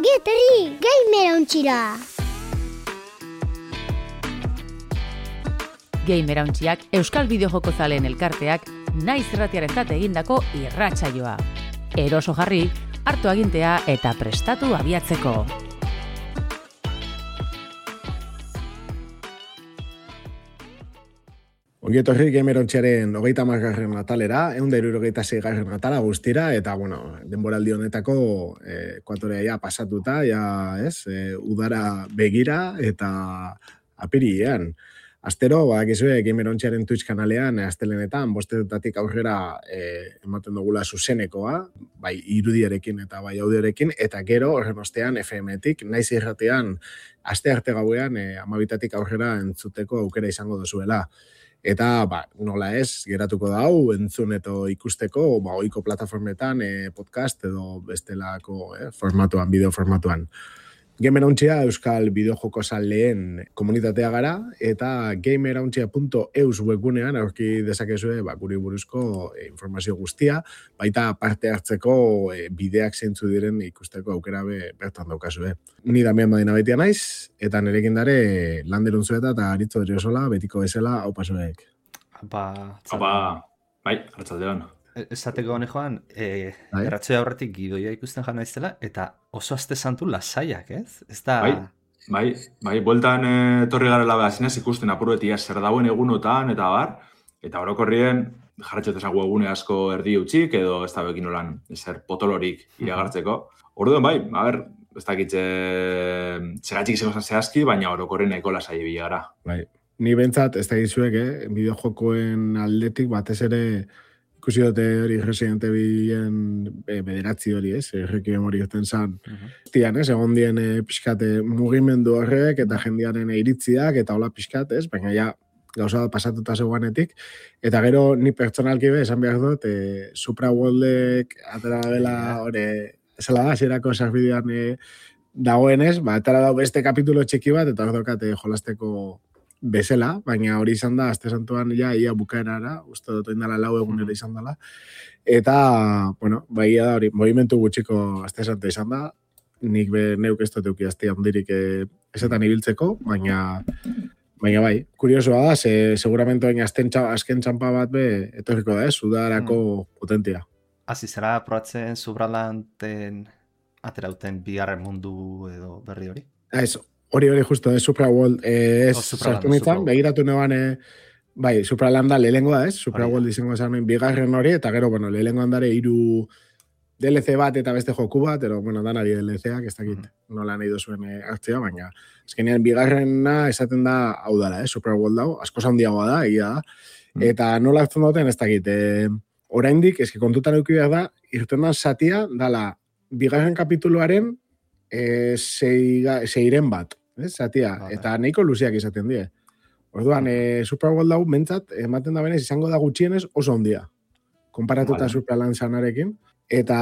Ongi etorri Gamerauntxira! Gamerauntxiak Euskal Bideojoko zaleen elkarteak naiz irratiarentzat egindako irratsaioa. Eroso jarri, hartu agintea eta prestatu abiatzeko. Ongi etorri Gamerauntxiaren 30. atalera, 176. atala guztira, eta, denboraldi honetako ekuatorea ja pasatuta, udara begira eta apirilean. Astero, badakizue, Gamerauntxiaren Twitch kanalean, astelenetan, 5:00 aurrera ematen dugula zuzenekoa, bai irudiarekin eta bai audiorekin, eta gero, horren ostean, FM-tik, naiz irratean, astearte gauean, 12:00 aurrera entzuteko aukera izango duzuela. Eta, nola ez, geratuko da hau, entzun eto ikusteko, ohiko plataformetan, podcast edo bestelako formatuan, bideo formatuan. Gamerauntxia Euskal Bideojoko zaleen komunitatea gara, eta gamerauntxia.eus webgunean aurki dezakezue guri buruzko informazio guztia, baita parte hartzeko bideak zeintzu diren ikusteko aukera bertan daukazue. Ni Damian Badina baitia naiz, eta nerekin dare Lander Unzueta eta Aritzo Eriosola, betiko bezala, hau pasuek. Bai, hartzaldean. Esateko hone joan, erratzoia horretik gidoia ikusten jana izela, eta oso aste santu lasaiak, ez? Ez da... Bai, bueltan etorri garela behazinez ikusten apuruetia zer dauen egunotan, eta bar, eta orokorrien jarratxotezago egune asko erdi utxik, edo ez da bekin olan zer potolorik iragartzeko. Orduan, ez dakitze segatxik izango zehazki, baina orokorrien nahiko lasai bila gara. Bai, ni bentsat, ez dakizuek, bideojokoen aldetik batez ere ikusi dute hori Resident Evilen bederatzi hori, errekiem hori ezten zan. Tian, egon dien pixkate mugimendu horrek eta jendearen iritziak eta hola pixkat, baina ja gauza pasatuta zegoanetik. Eta gero ni pertsonalki esan behar dut, Supra Worldek atera dela hori, zela da, zerako sarbidean dagoenez, atera dau beste kapitulo txiki bat, eta hor daukate jolasteko bezala, baina hori izan da, aste santuan ia bukaerara, uste dut indala 4 egunera izan dela, eta, baia da hori, movimentu gutxiko aste santua izan da, nik neuk ez dut euki handirik esetan ibiltzeko, baina bai, kuriosoa da, seguramente baina azken txampa bat etorriko da, udarako potentia. Zera probatzen Subralanten aterauten bigarren mundu edo berri hori? Hori justo, Supra World, sartu nintzen, begiratu neban, Supralanda lehengoa, Supra World izango esan bigarren hori, eta gero, lehengoan dare 3 DLC bat eta beste joku bat, pero, danari DLC-ak, ez dakit nola nahi duzuen hartzea, baina, azkenean bigarrena esaten da hau dara, Supra World hau, asko handiagoa da, egia da, eta nola hartzen duten, ez dakit, oraindik, kontutan eduki behar da, irtenan zatia, dala, bigarren kapituluaren, seiren bat, zatia, eta nahiko luziak izaten die. Orduan, Super World hau mentzat, ematen da benez, izango da gutxienez oso ondia, konparatuta Supraland zanarekin, eta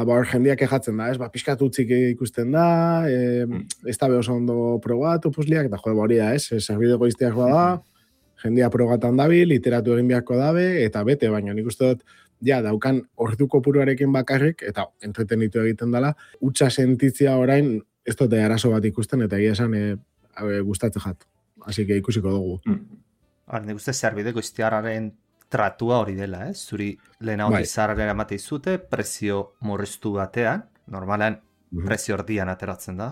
hor jendeak ejatzen da, pixkat utzik ikusten da, ez da oso ondo probatu puzliak, eta hori da, zerbideko izteak da, jendea probatan dabil, literatu egin beharko dabe, eta bete, baina nik uste dut, daukan ordu kopuruarekin bakarrik, eta entretenitu egiten dela, utxa sentitzia orain, ez dute arazo bat ikusten, eta egia esan gustatzen jat. Así que ikusiko dugu. Nik uste zerbideko iztiarraren tratua hori dela, zuri lehen hau izarraren amate izute, prezio morriztu batean, normalean prezio ordian ateratzen da,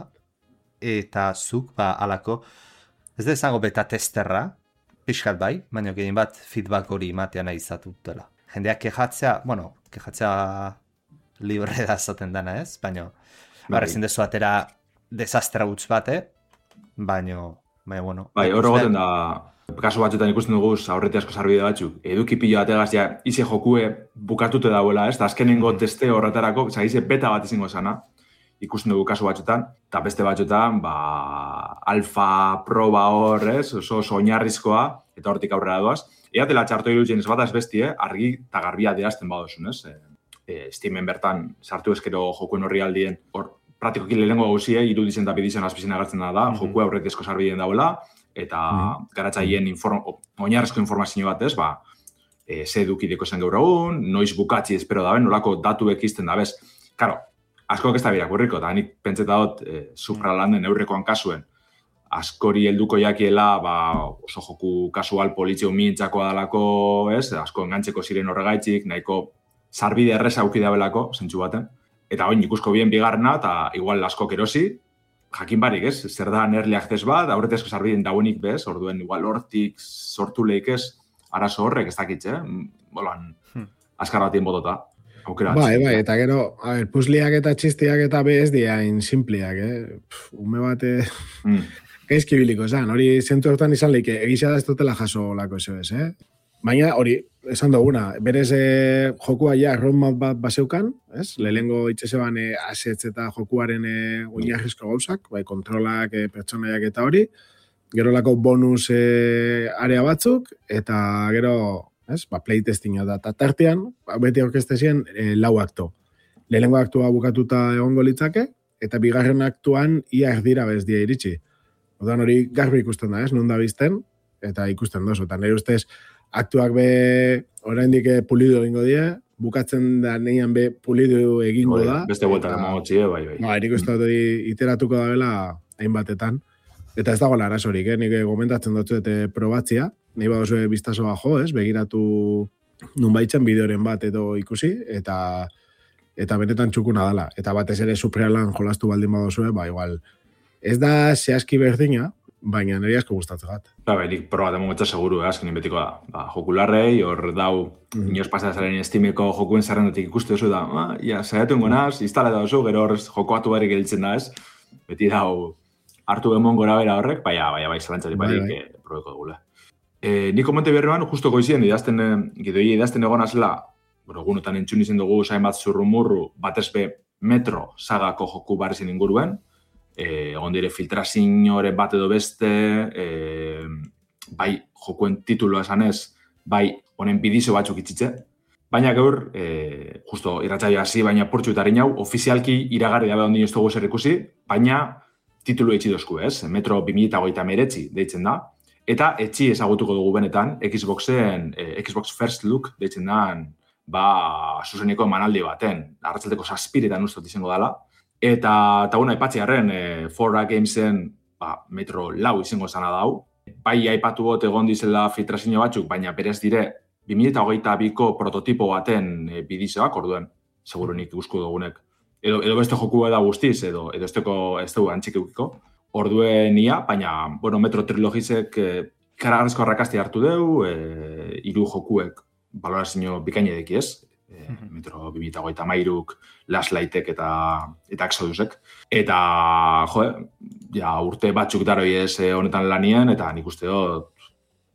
eta zuk, alako, ez da izango beta testerra, pixkat bai, baina gehien bat feedback hori imatea nahi izatu dela. Jendeak kejatzea libre da zaten dana, baina ezin dezu atera desastra gutz bate, baina, hori goten da, kasu batzuetan ikusten dugu aurreti asko sarbide batzuk, eduki pila bategaz ize jokue bukatute dauela, da azkenengo teste horretarako, ize beta bat izango zana, ikusten dugu kasu batzuetan, eta beste batzuetan, alfa proba hor, oso oinarrizkoa, eta hortik aurrera doaz. Eatela txarto irutzen ez bat azbesti, argi eta garbia adierazten badozun, Steamen bertan sartu eskero jokuen horri aldien, hor praktikoki lehenengo gauzie, iruditzen eta bidizen azpizien agertzen da, jokua aurretizko sarbideen dauela, eta garatzaien oinarrizko informazio bat ze edukideko zen gaur egun, noiz bukatzi espero daben, nolako datu ekizten da, bez. Karo, askok ez da birakurriko, eta nik pentseta dut supralanden eurrekoan kasuen, askori helduko jakiela, oso joku kasual polizio mintzakoa dalako, ez? Asko engantzeko ziren horregaitzik, nahiko sarbide erreza auki dabelako, zentsu baten. Eta oin ikusko bien bigarrena, eta igual askok erosi, jakin barik, ez? Zer da early access bat, aurretezko sarbideen dauenik bez, orduen igual hortik sortu lehik ez, arazo horrek ez dakitze, bolan, askar batien botota. Bai, eta gero, puzliak eta txistiak eta bez diain simpliak, ume bate... Gaizki biliko, hori zentu hortan izan leike, egizia da ez dutela jaso lako ez, Baina hori, esan duguna, berez jokua ja roadmap bat baseukan, ez? Lehengo itxeseban assets eta jokuaren oinarrizko gauzak, bai, kontrolak, pertsonaiak eta hori, gero lako bonus area batzuk, eta gero, ez? Playtestinga da, eta tartean, beti orkestezien lau akto. Lehengo aktua bukatuta egongo litzake, eta bigarren aktuan ia erdira bez dia iritsi. Odan hori garbi ikusten da, ez? Non da bizten, eta ikusten dozu. Eta nire ustez, aktuak be oraindik pulido egingo die, bukatzen da neian be pulido egingo da. Beste vuelta emango txie, bai. Nik uste dut iteratuko da bela hainbatetan. Eta ez dagoela arazorik, nik gomentatzen dut probatzia. Nahi badozu biztaso bajo, ez? Begiratu nunbaitzen bideoren bat edo ikusi, eta benetan txukuna dela. Eta batez ere Suprealan jolastu baldin badozu, igual... Ez da zehazki berdina, baina nire asko gustatzen gat. Nik probaten momentu seguru, azkenin betiko da. Jokularrei, hor dau, inoz pasazaren estimeko jokuen zerrendatik ikustu oso da, zaiatu ingonaz, instale da oso, gero horrez jokoatu barik elitzen da ez. Beti dau, hartu emon gora bera horrek, bai, zelantzari barik probeko dugula. Nik komente berrean, justo goizien, gidoi idazten egon azela, gunotan entzun izen dugu, zain bat zurrumurru, batezbe metro sagako joku barrizin inguruen, egon dire filtrazioren bat edo beste, bai jokuen tituloa esanez, bai honen bidizo batzuk itxitze. Baina gaur, justo irratsaio hasi, baina portxu eta hau, ofizialki iragarri dabe ondino ez dugu zer ikusi, baina titulu etxi dozku, ez? Metro 2029 deitzen da. Eta etxi ezagutuko dugu benetan, Xboxen, Xbox First Look deitzen da, zuzeneko emanaldi baten, arratzaldeko 7 ustot izango dela. Eta aipatzi harren, 4A Gamesen metro 4 izango zana dau. Bai aipatu bot egon dizela filtrazio batzuk, baina berez dire 2022ko prototipo baten bidizoak, orduen, segurunik guzku dugunek. Edo beste joku da guztiz, edo ez dugu antxik eukiko. Orduen ia, baina, metro trilogizek karagarrizko arrakasti hartu deu, 3 jokuek balorazio bikaina edeki ez. Metro 2023, Last Lightek eta Exodusek. Eta, urte batzuk daroi ez honetan lanien, eta nik uste dut,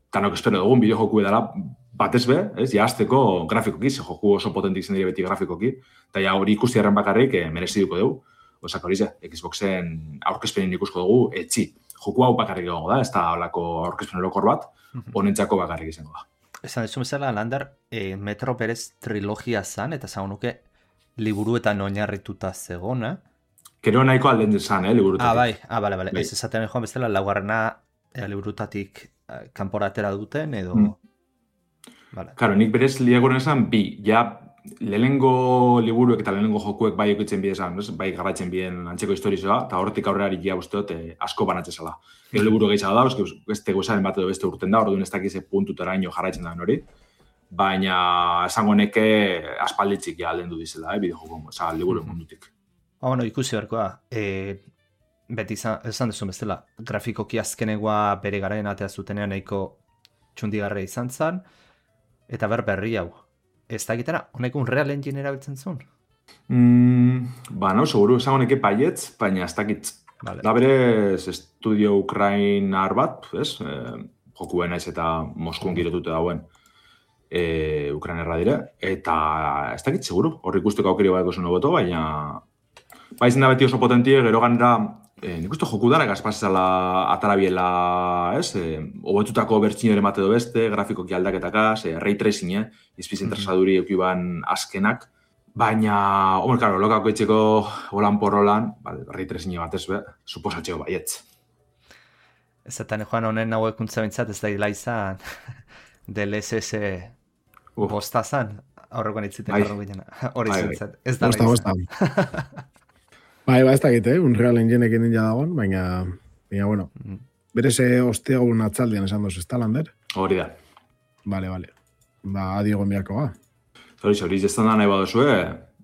tanok espero dugun bideojoku edala batez be, azteko grafikoki, ze joku oso potentik zen dire beti grafikoki, eta hori ikusti erren bakarrik mereziduko dugu. Osak hori ze, Xboxen aurkezpenin ikusko dugu, etxi. Joku hau bakarrik egongo da, ez da holako aurkezpen orokor bat, honentzako bakarrik izango da. Esan desu bezala, Lander, Metro berez trilogia zan, eta zagunuke liburuetan oinarrituta zegona. Kero nahiko alden zan, liburutatik. Bale. Ez esaten joan bezala, laugarrena liburutatik kanporatera duten, edo... Karo, nik berez liagoren esan, lehenengo liburuek eta lehenengo jokuek bai ekitzen bidezan, bai garratzen bien antzeko historizoa, eta horretik aurrerari ja usteot asko banatzezala. Gero liburu gehiago da, beste gozaren bat edo beste urten da, orduan ez dakize puntutara ino jarraitzen da hori, baina esango neke aspalditzik ja alden du dizela, bideojoko, liburu mundutik. Ikusi berkoa, beti esan dezu bezala, grafikoki azkenegoa bere garaien atea zutenean nahiko txundigarra izan zen, eta berri hau. Ez da gitara, honek Unreal Engine erabiltzen zuen? Seguru, esango neke baietz, baina ez dakitz. Da berez, estudio ukrainar bat, jokuen naiz eta Moskun girotute dauen ukrainerra dire, eta ez dakitz, seguru, horri ikusteko aukeri bat gozu noboto, baina baizen da beti oso potentie, gero ganera, nik uste joku dara gazpazela atarabiela, hobetutako bertzinore mate do beste, grafikoki aldaketakaz, ray tracing, izpizen trasaduri eukiban azkenak, baina, lokako etxeko holan porrolan, ray tracing bat ez be, suposatxeo baietz. Ez zetan joan honen hau ekuntza bintzat, ez da hila izan DLSS bosta zan, aurrekoan itziten garro ginen, hori zintzat, ez da hila izan. Bai, ez dakit, Unreal Engineekin ninja dagoen, baina, bueno, berez osteagun atzaldian esan dozu, ez da, Lander? Hori da. Vale. Ba, adiogon biako, ba. Hori, jestan da nahi badozue,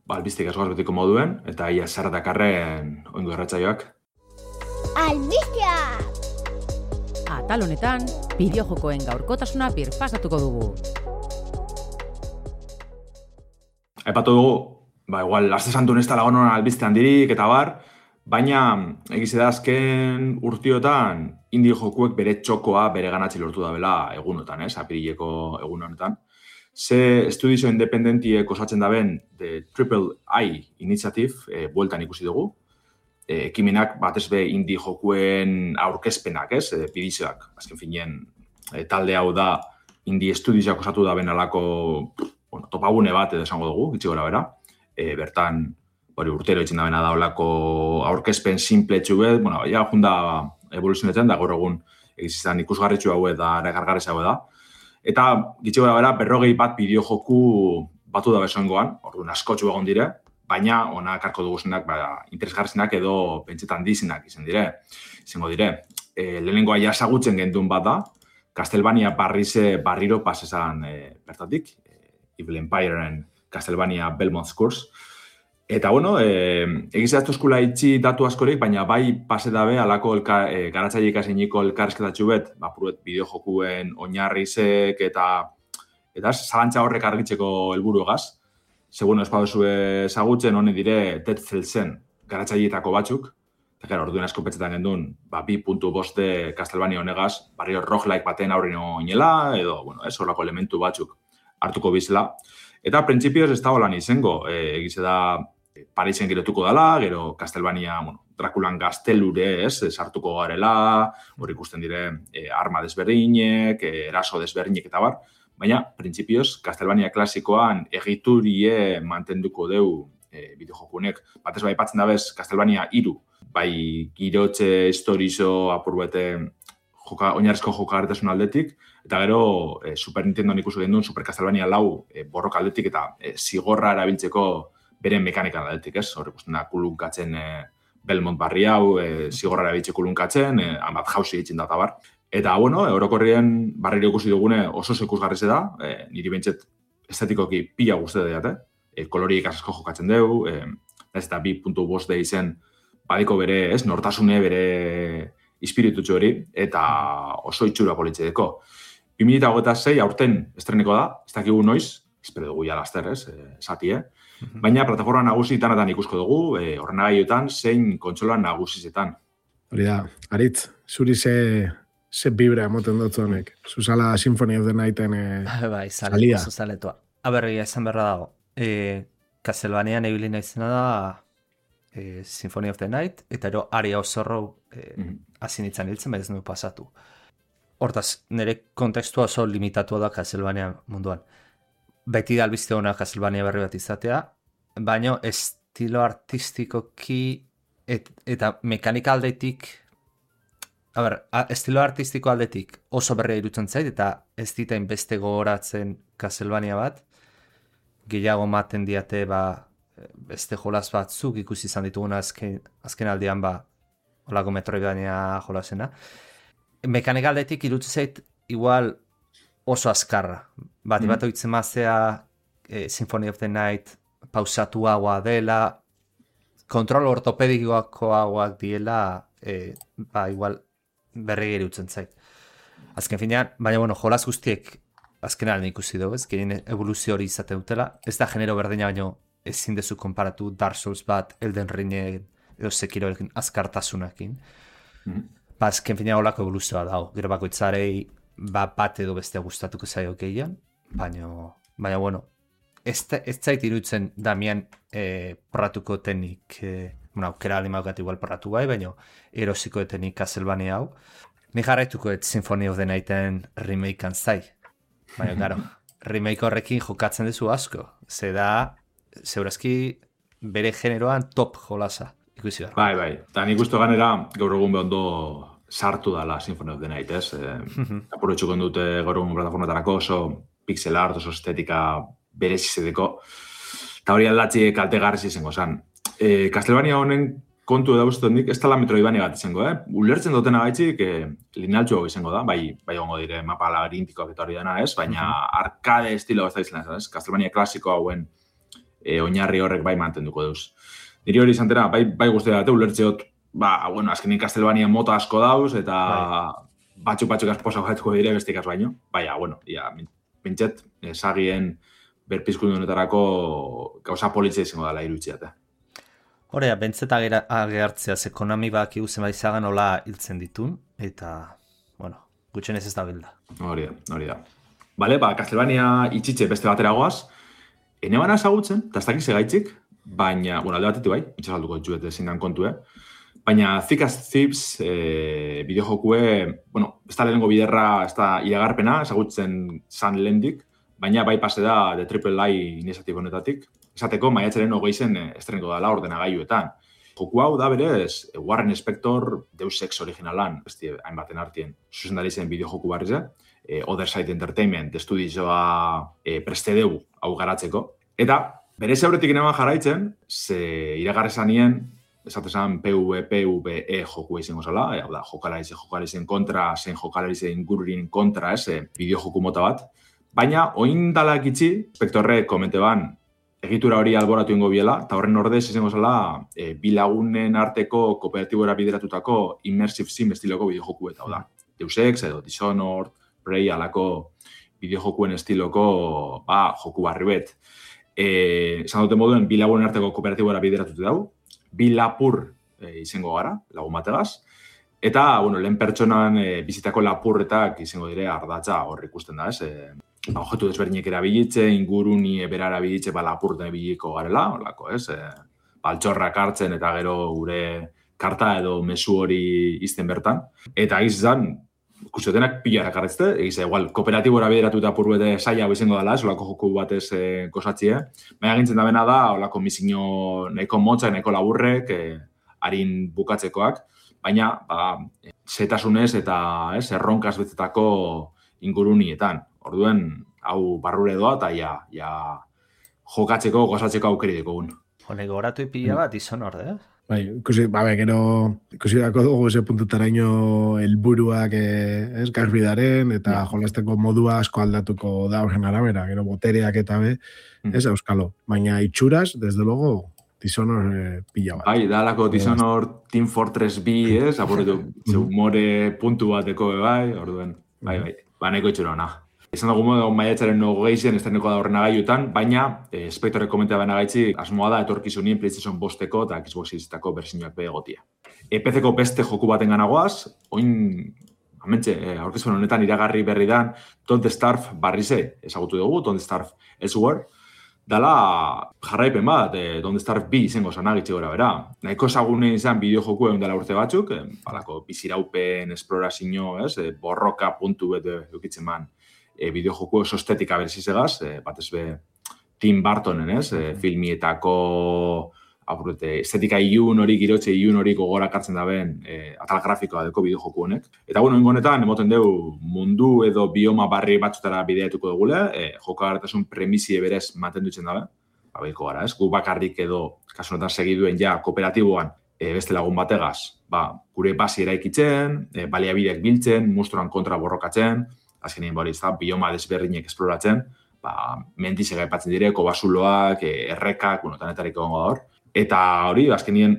albistik askoaz betiko moduen, eta ia zerratakarren oingo erratzaioak. Albistia! Atal honetan, bideojokoen gaurkotasuna birpasatuko dugu. Aipatu dugu, igual, aste santu ez da lagonon albiste handirik eta bar, baina egize da azken urtiotan indie jokuek bere txokoa bere ganatzi lortu da bela egunotan, apirileko egun honetan. Ze estudizio independentiek osatzen daben The Triple I Initiative bueltan ikusi dugu. Ekimenak batez be indie jokuen aurkezpenak, bidizioak. Azken finean, talde hau da indie estudizioak osatu da benalako topagune bat edo esango dugu, gitxi gora bera. Bertan, urtero itxen da bena da olako aurkezpen simpletxu bet, ja junda evoluzionetzen da gaur egun egizizan ikusgarritxu hau da, regargarez hau da. Eta gitxi gora bera, 41 bideo joku batu da besoengoan, orduan askotxu egon dire, baina onak arko duguzenak interesgarrizenak edo pentsetan dizenak izango dire. Lehenengoa jasagutzen gendun bat da, Castlevania barriro pasesan bertatik, Evil Empireen Castlevania Belmont's Curse. Eta, egizia eskula itxi datu askorik, baina bai pase dabe alako garatzaile ikaseiniko elkarrizketatxu bet, puruet bideojokuen oinarrizek eta zalantza horrek argitzeko helburu egaz. Segun espadozu ezagutzen, honi dire Dead Cells-en garatzaileetako batzuk. Eta orduan asko petxetan gendun, 2.5 Castlevania honegaz, barrio roguelike baten aurrino inela, edo, horrako elementu batzuk hartuko bizela. Eta printzipioz ez da holan izango, egize da Parisen girotuko dela, gero Castlevania, Draculan gaztelure, sartuko garela, hor ikusten dire arma desberdinek, eraso desberdinek eta bar, baina, printzipioz, Castlevania klasikoan egiturie mantenduko deu bideojokunek. Batez bai patzen dabez, Castlevania 3, bai girotxe historizo apurbete oinarrizko jokagarritasun aldetik, eta gero Super Nintendoan ikusi gendun Super Castlevania 4 borroka aldetik eta zigorra erabiltzeko beren mekanikan aldetik, hor ikusten da kulunkatzen Belmont barri hau, zigorra erabiltze kulunkatzen, hanbat jauzi egiten da bar. Eta, orokorrien barriro ikusi dugune oso ikusgarrize da, niri bentset estetikoki pila guzti da, koloriek asko jokatzen dugu, ez eta 2.5 da izen badiko bere, nortasune bere ispiritutxo hori, eta oso itxura politzedeko. 2026 aurten estreneko da, ez dakigu noiz, espero dugu ja laster, esati, baina plataforma nagusietan ikusko dugu, ordenagaiotan zein kontsola nagusizetan. Hori da, Aritz, zuri ze vibra emoten dutzu honek. Zuzala Symphony of the Nighten salia. Oso zaletua. Aberri, esan berra dago. Castlevanian ebilina izena da Symphony of the Night, eta ero Aria Osorro azinitzen hiltzen, ez nu pasatu. Hortaz, nire kontekstua oso limitatua da Castlevania munduan. Beti da albiste hona Castlevania berri bat izatea, baina estilo artistikoki eta mekanika aldetik, estilo artistiko aldetik oso berria irutzen zait, eta ez ditain beste gogoratzen Castlevania bat, gehiago maten diate beste jolaz batzuk ikusi izan dituguna azken aldean olako Metroidvania jolasena. Mekanika aldetik irutzen zait igual oso azkarra. Bat oitzen mazea Symphony of the Night pausatuagoa dela, kontrol ortopedikoakoagoak diela, igual berri irutzen zait. Azken finean, baina jolaz guztiek azkenean ikusi dugu, gehien evoluzio hori izate dutela. Ez da genero berdina, baina ezin dezu konparatu Dark Souls bat, Elden Ring edo Sekiroekin azkartasunakin. Azken finean holako evoluzioa dago. Gero bakoitzarei bat edo bestea gustatuko zaio gehien, baina ez zait iruditzen Damian porratuko tenik, aukera alimaugat igual porratu bai, baina erosiko tenik Castlevania hau. Ni jarraituko Symphony of the Nighten remakean zai. Baina, claro, remake horrekin jokatzen duzu asko. Zeurazki bere generoan top jolasa. Ikusi da. Bai. Eta nik uste ganera gaur egun behondo sartu dala Symphony of the Night, ez? Apurotxuko dute gaur egun plataformatarako oso pixel art, oso estetika berezizedeko. Eta hori aldatzi kaltegarriz izango zan. Castlevania honen kontu edauzten dik, ez tala metroidvania bat izango, Ulertzen dutena gaitzik, linealtxo izango da, bai gongo dire mapa labirintikoak eta hori dena, ez? Baina arcade estilo ez da izan, ez? Castlevania klasiko hauen oinarri horrek bai mantenduko duz. Niri hori izan bai guztia dute, ulertzeot, azkenin Castlevania mota asko dauz, eta batzuk asposa gaituko dire bestikaz baino. Baina, pintxet, sagien berpizkundu honetarako gauza politzia izango dela irutziate. Horea, bentzeta agertzea, ze Konami baki guzen baizagan hola hiltzen ditun, eta, gutxenez ez da bilda. Hori da. Bale, Castlevania itxitxe beste batera goaz, enebana ezagutzen, eta ez dakiz egaitzik, baina, alde batetik bai, itxasalduko ditxuet ezin dan kontu, baina Thick as Thieves bideojokue, ez da lehenengo biderra, ez da iragarpena, ezagutzen zan lehendik, baina bai pase da de AAA iniziatibo honetatik. Esateko, maiatzaren 20 estreniko dela ordenagailuetan. Joku hau da berez, Warren Spector Deus Ex originalan, besti hainbaten artien, zuzendari zen bideojoku barriz, Other Side Entertainment estudioa prestedeu hau garatzeko. Eta, berez aurretik eneman jarraitzen, ze iragarri zanien, esatezan PvE joku izango zala, hau da, jokalarizen kontra, zein jokalarizen ingururin kontra, bideojoku mota bat. Baina, oin dalak itxi, Spectorre komente ban, egitura hori alboratu ingo biela, eta horren ordez izango zela, bilagunen arteko kooperatibora bideratutako immersive sim estiloko bideojoku eta, hau da, Deus Ex edo Dishonored, Prey alako bideojokuen estiloko joku barri bet. Esan dute moduen, bilagunen arteko kooperatibora bideratutu dau, bilapur izango gara, lagun bategaz, eta, lehen pertsonan bizitako lapurretak izango dire ardatza hor ikusten da, objektu desberdinek erabilitze, inguruni bera erabilitze, lapurten ebiliko garela, holako, baltxorrak hartzen eta gero gure karta edo mezu hori izten bertan. Eta izan, ikusiotenak pilarak arretzte, igual, kooperatibora bideratuta apur bete saia izango dela, olako joku batez gozatzie. Baina gintzen da bena da, olako misiño nahiko motzak, nahiko laburrek, harin bukatzekoak, baina, zetasunez eta erronkaz betetako ingurunietan. Orduen, hau barrure doa eta jokatzeko, gozatzeko aukeri dekogun. Honek goratu ipila bat izan orde, Bai, ikusi dako dugu ese puntutaraino helburuak garbidaren eta jolasteko modua asko aldatuko da horren arabera, gero botereak eta euskalo. Baina itxuraz, desde luego, Dishonored pila bat. Bai, dalako Dishonored Team Fortress B, apurretu, humore puntu bateko bai, orduen, bai, nahiko itxura hona. Izan dugu modu maiatzaren 20 estreneko da ordenagailutan, baina Spectorek komentea baina gaitzi asmoa da etorkizunien PlayStation 5 eta Xbox Series-etako bersioak egotia. PC-ko beste joku baten ganagoaz, oin, aurkezpen honetan iragarri berri dan, Don't Starve barrize ezagutu dugu, Don't Starve Elsewhere, dala jarraipen bat, Don't Starve B izango zanagitxe gora bera. Nahiko ezagune izan bideojoku egun dela urte batzuk, balako biziraupen, esplorazio, borroka puntu bete eukitzen man, bideojoku oso estetika berzizegaz, batez be Tim Burtonen, filmietako estetika ilun hori, girotxe ilun hori gogorak hartzen daben atal grafikoa deko bideojoku honek. Eta ingonetan, emoten dugu mundu edo bioma barri batzutara bideatuko dugule, jokagarritasun premisie berez mantendutzen dabe, babeiko gara, gu bakarrik edo, kasunetan segiduen kooperatiboan beste lagun bategaz, gure basi eraikitzen, baliabideak biltzen, monstruan kontra borrokatzen, azkenien hori bioma desberdinek esploratzen, mendizega aipatzen direko, basuloak, errekak, tanetariko gongo da hor. Eta hori, azkenien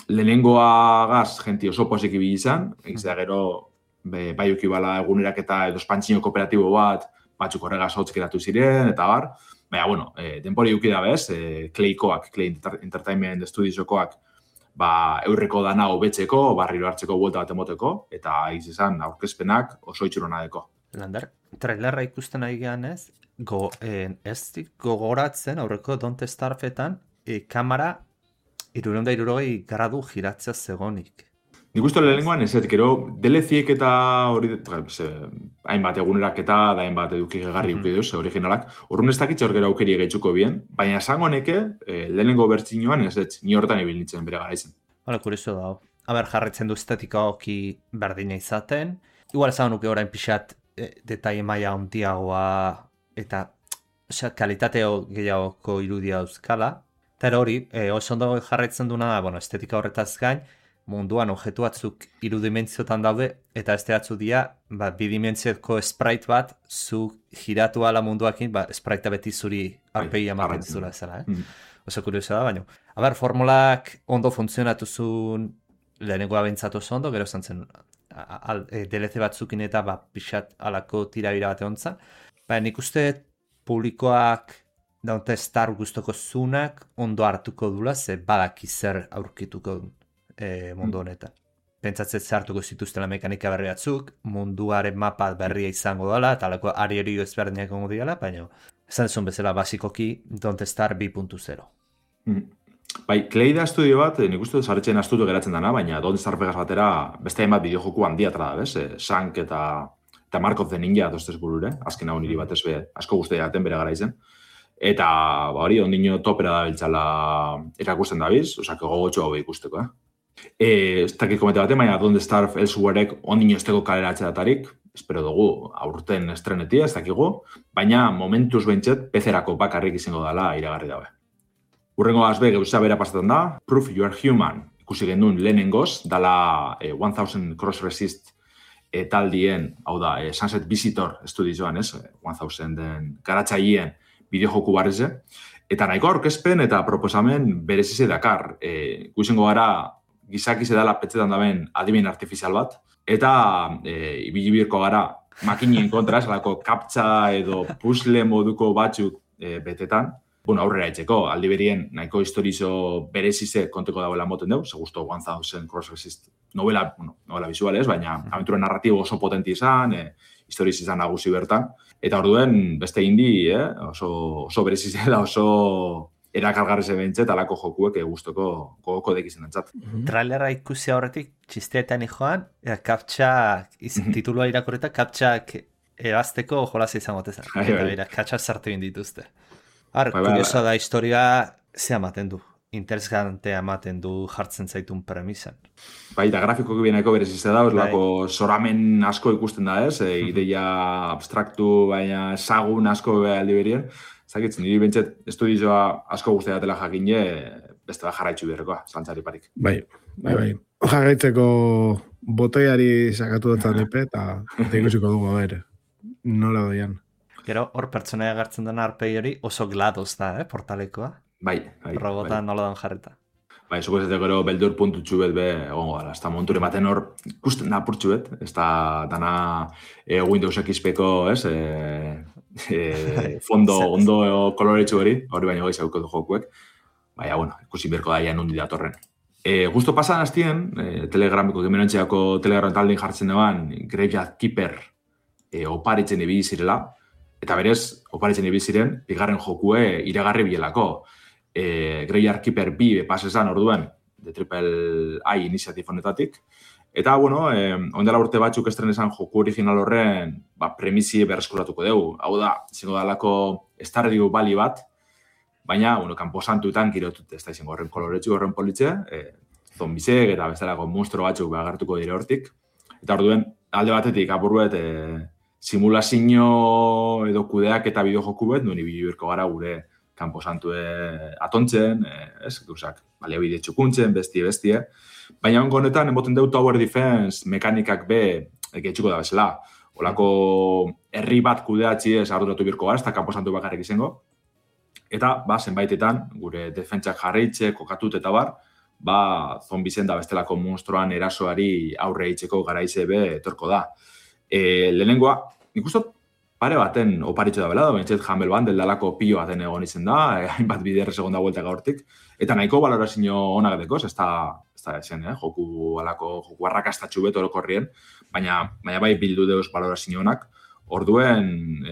lehenengoagaz jenti oso posik ibili izan, egizea gero bai ukibala egunerak eta edo espantxino kooperatibo bat, batzuk horregaz hotz geratu ziren, eta bar. Baina, denpori ukida bez, Claykoak, Clay Entertainment Studiosokoak, eurreko dana hobetzeko, barriro hartzeko buelta bat emoteko, eta izan aurkezpenak oso itxurona deko. Lander, trailerra ikusten ari gehan ez gogoratzen aurreko Don't Starve-etan kamera 360 gradu giratzea zegonik. Nik uste lehenengoan ez, gero DLC-ek eta hori, hainbat egunerak eta hainbat eduki gegarri ukiduz, originalak, horren ez dakitxe hor gero aukeri gaitzuko bien, baina esango neke lehenengo bertzinoan ez, ni horretan ibil nintzen bere gara izan. Kuriso da. Jarretzen du estetika hoki berdina izaten, igual esan nuke orain pixat detaile maila handiagoa eta kalitateo gehiagoko irudia euskala, Eta hori, oso ondo jarraitzen duna da, estetika horretaz gain, munduan objektu batzuk 3 dimentziotan daude, eta beste batzu dira, bidimentzioko sprite bat, zu giratu ala munduakin, sprite beti zuri arpegi ematen zula zela, Oso kuriosa da, baina. Formulak ondo funtzionatu zuen lehenengoa bentsatu oso ondo, gero zantzen DLC batzukin eta pixat alako tirabira bate ontza. Nik uste publikoak daunte Star guztoko zunak ondo hartuko dula, ze badaki zer aurkituko mundu honetan. Pentsatzen zartuko zituztela mekanika berri batzuk, munduaren mapa berria izango dela, eta alako ari ezberdinak gongo diala, baina esan zuen bezala basikoki Don't Star 2.0. Bai, Kleida estudio bat, nik uste zaretzen astutu geratzen dana, baina Don't Star Vegas batera beste hainbat bideojoku handia da, bez? Shank eta Mark of the Ninja dostez burure, azken hau niri batez asko guztia jaten bere gara izen. Eta hori, ondino topera da biltzala erakusten dabiz, osak gogotxo hau ikusteko, ez dakit komete baten, baina Don't Starve Elsewherek ondino esteko kaleratzea datarik, espero dugu aurten estrenetia, ez dakigu, baina momentuz behintzet PC-erako bakarrik izango dela iragarri dabe. Urrengo azbe gauza bera pasatzen da, Proof You Are Human, ikusi gendun lehenengoz, dala 1000 Cross Resist taldien, hau da, Sunset Visitor estudioan, 1000 den garatzaien bideojoku barreze, eta nahiko aurkezpen eta proposamen berezize dakar. Ikusengo gara, gizakize dela petzetan daben adimen artifizial bat, eta ibilibirko gara makinien kontra, esalako kaptza edo puzzle moduko batzuk betetan, aurrera etxeko, aldi berien nahiko historizo berezize konteko dagoela moten dugu, segusto 1000 Cross Resist novela visuales, baina aventura narratibo oso potenti izan, historiz izan nagusi bertan, eta orduen beste indi, oso berezize da, oso erakargarri behintzet alako jokuek guztoko gogoko dekizen entzat. Trailera ikusi horretik, txisteetan joan, kaptxak, titulua irakorreta, kaptxak ebazteko jolaz izango tezan. Eta kaptxak sartu dituzte. Kuriosa da historia ze ematen du. Interesgantea ematen du jartzen zaitun premisan. Bai, eta grafikoki bieneko berezizte da, lako zoramen asko ikusten da ez, ideia abstraktu, baina ezagun asko aldi berien. Zagitzen, niri bentset estudioa asko guztia datela jakine, beste da jarraitzu berrekoa, zantzari parik. Bai. Jarraitzeko botoiari sakatu dutzen dipe, eta ikusiko dugu, nola doian. Gero, hor pertsonaia gartzen den arpegi hori oso gladoz da, portalekoa. Bai. Robota nola dan jarreta. Bai, zuko ez gero beldur puntutxu bet egongo gara. Ez da monture maten hor ikusten da purtxu bet. Ez da dana Windows XP-ko, fondo ondo koloretxu hori baina gaiz hauko du jokuek. Baina, ikusi berko daia nundi datorren. Justo pasan hastien, Telegramiko gemenantxeako Telegram taldin jartzen deban, Graveyard Keeper oparitzen ibili zirela. Eta berez, oparitzen ibili ziren, bigarren jokue iragarri bielako. Graveyard Keeper 2 pasesan orduen, de Triple I iniziatif honetatik. Eta, ondela urte batzuk estrenesan joku original horren premisi berreskuratuko dugu. Hau da, izango dalako Stardew Valley bat, baina, kanposantuetan girotut, ez da izango horren koloretsu horren politxe, zombizek eta bestelako monstro batzuk agertuko dire hortik. Eta orduen, alde batetik apurruet simulazio edo kudeak eta bideojoku bet, nuen ibiluirko gara gure kanposantue atontzen, gauzak, baliabide txukuntzen, bestie. Baina ongo honetan, emoten deu Tower Defense mekanikak getxuko da bezala. Olako herri bat kudeatzi ez arduratu birko gara, ez da kanposantu bakarrik izango. Eta, zenbaitetan, gure defentsak jarraitze, kokatut eta zombizen da bestelako monstruan erasoari aurre eitzeko garaize etorko da. Lehenengoa, nik ustot pare baten oparitxo da bela, bentsat Humble Bundle dalako pilo baten egon izen da, hainbat biderre segonda vuelta gaurtik, eta nahiko balorazio onak dekoz, ez da esen, joku arrakastatxu beto orokorrien, baina bai bildu deuz balorazio onak, orduen,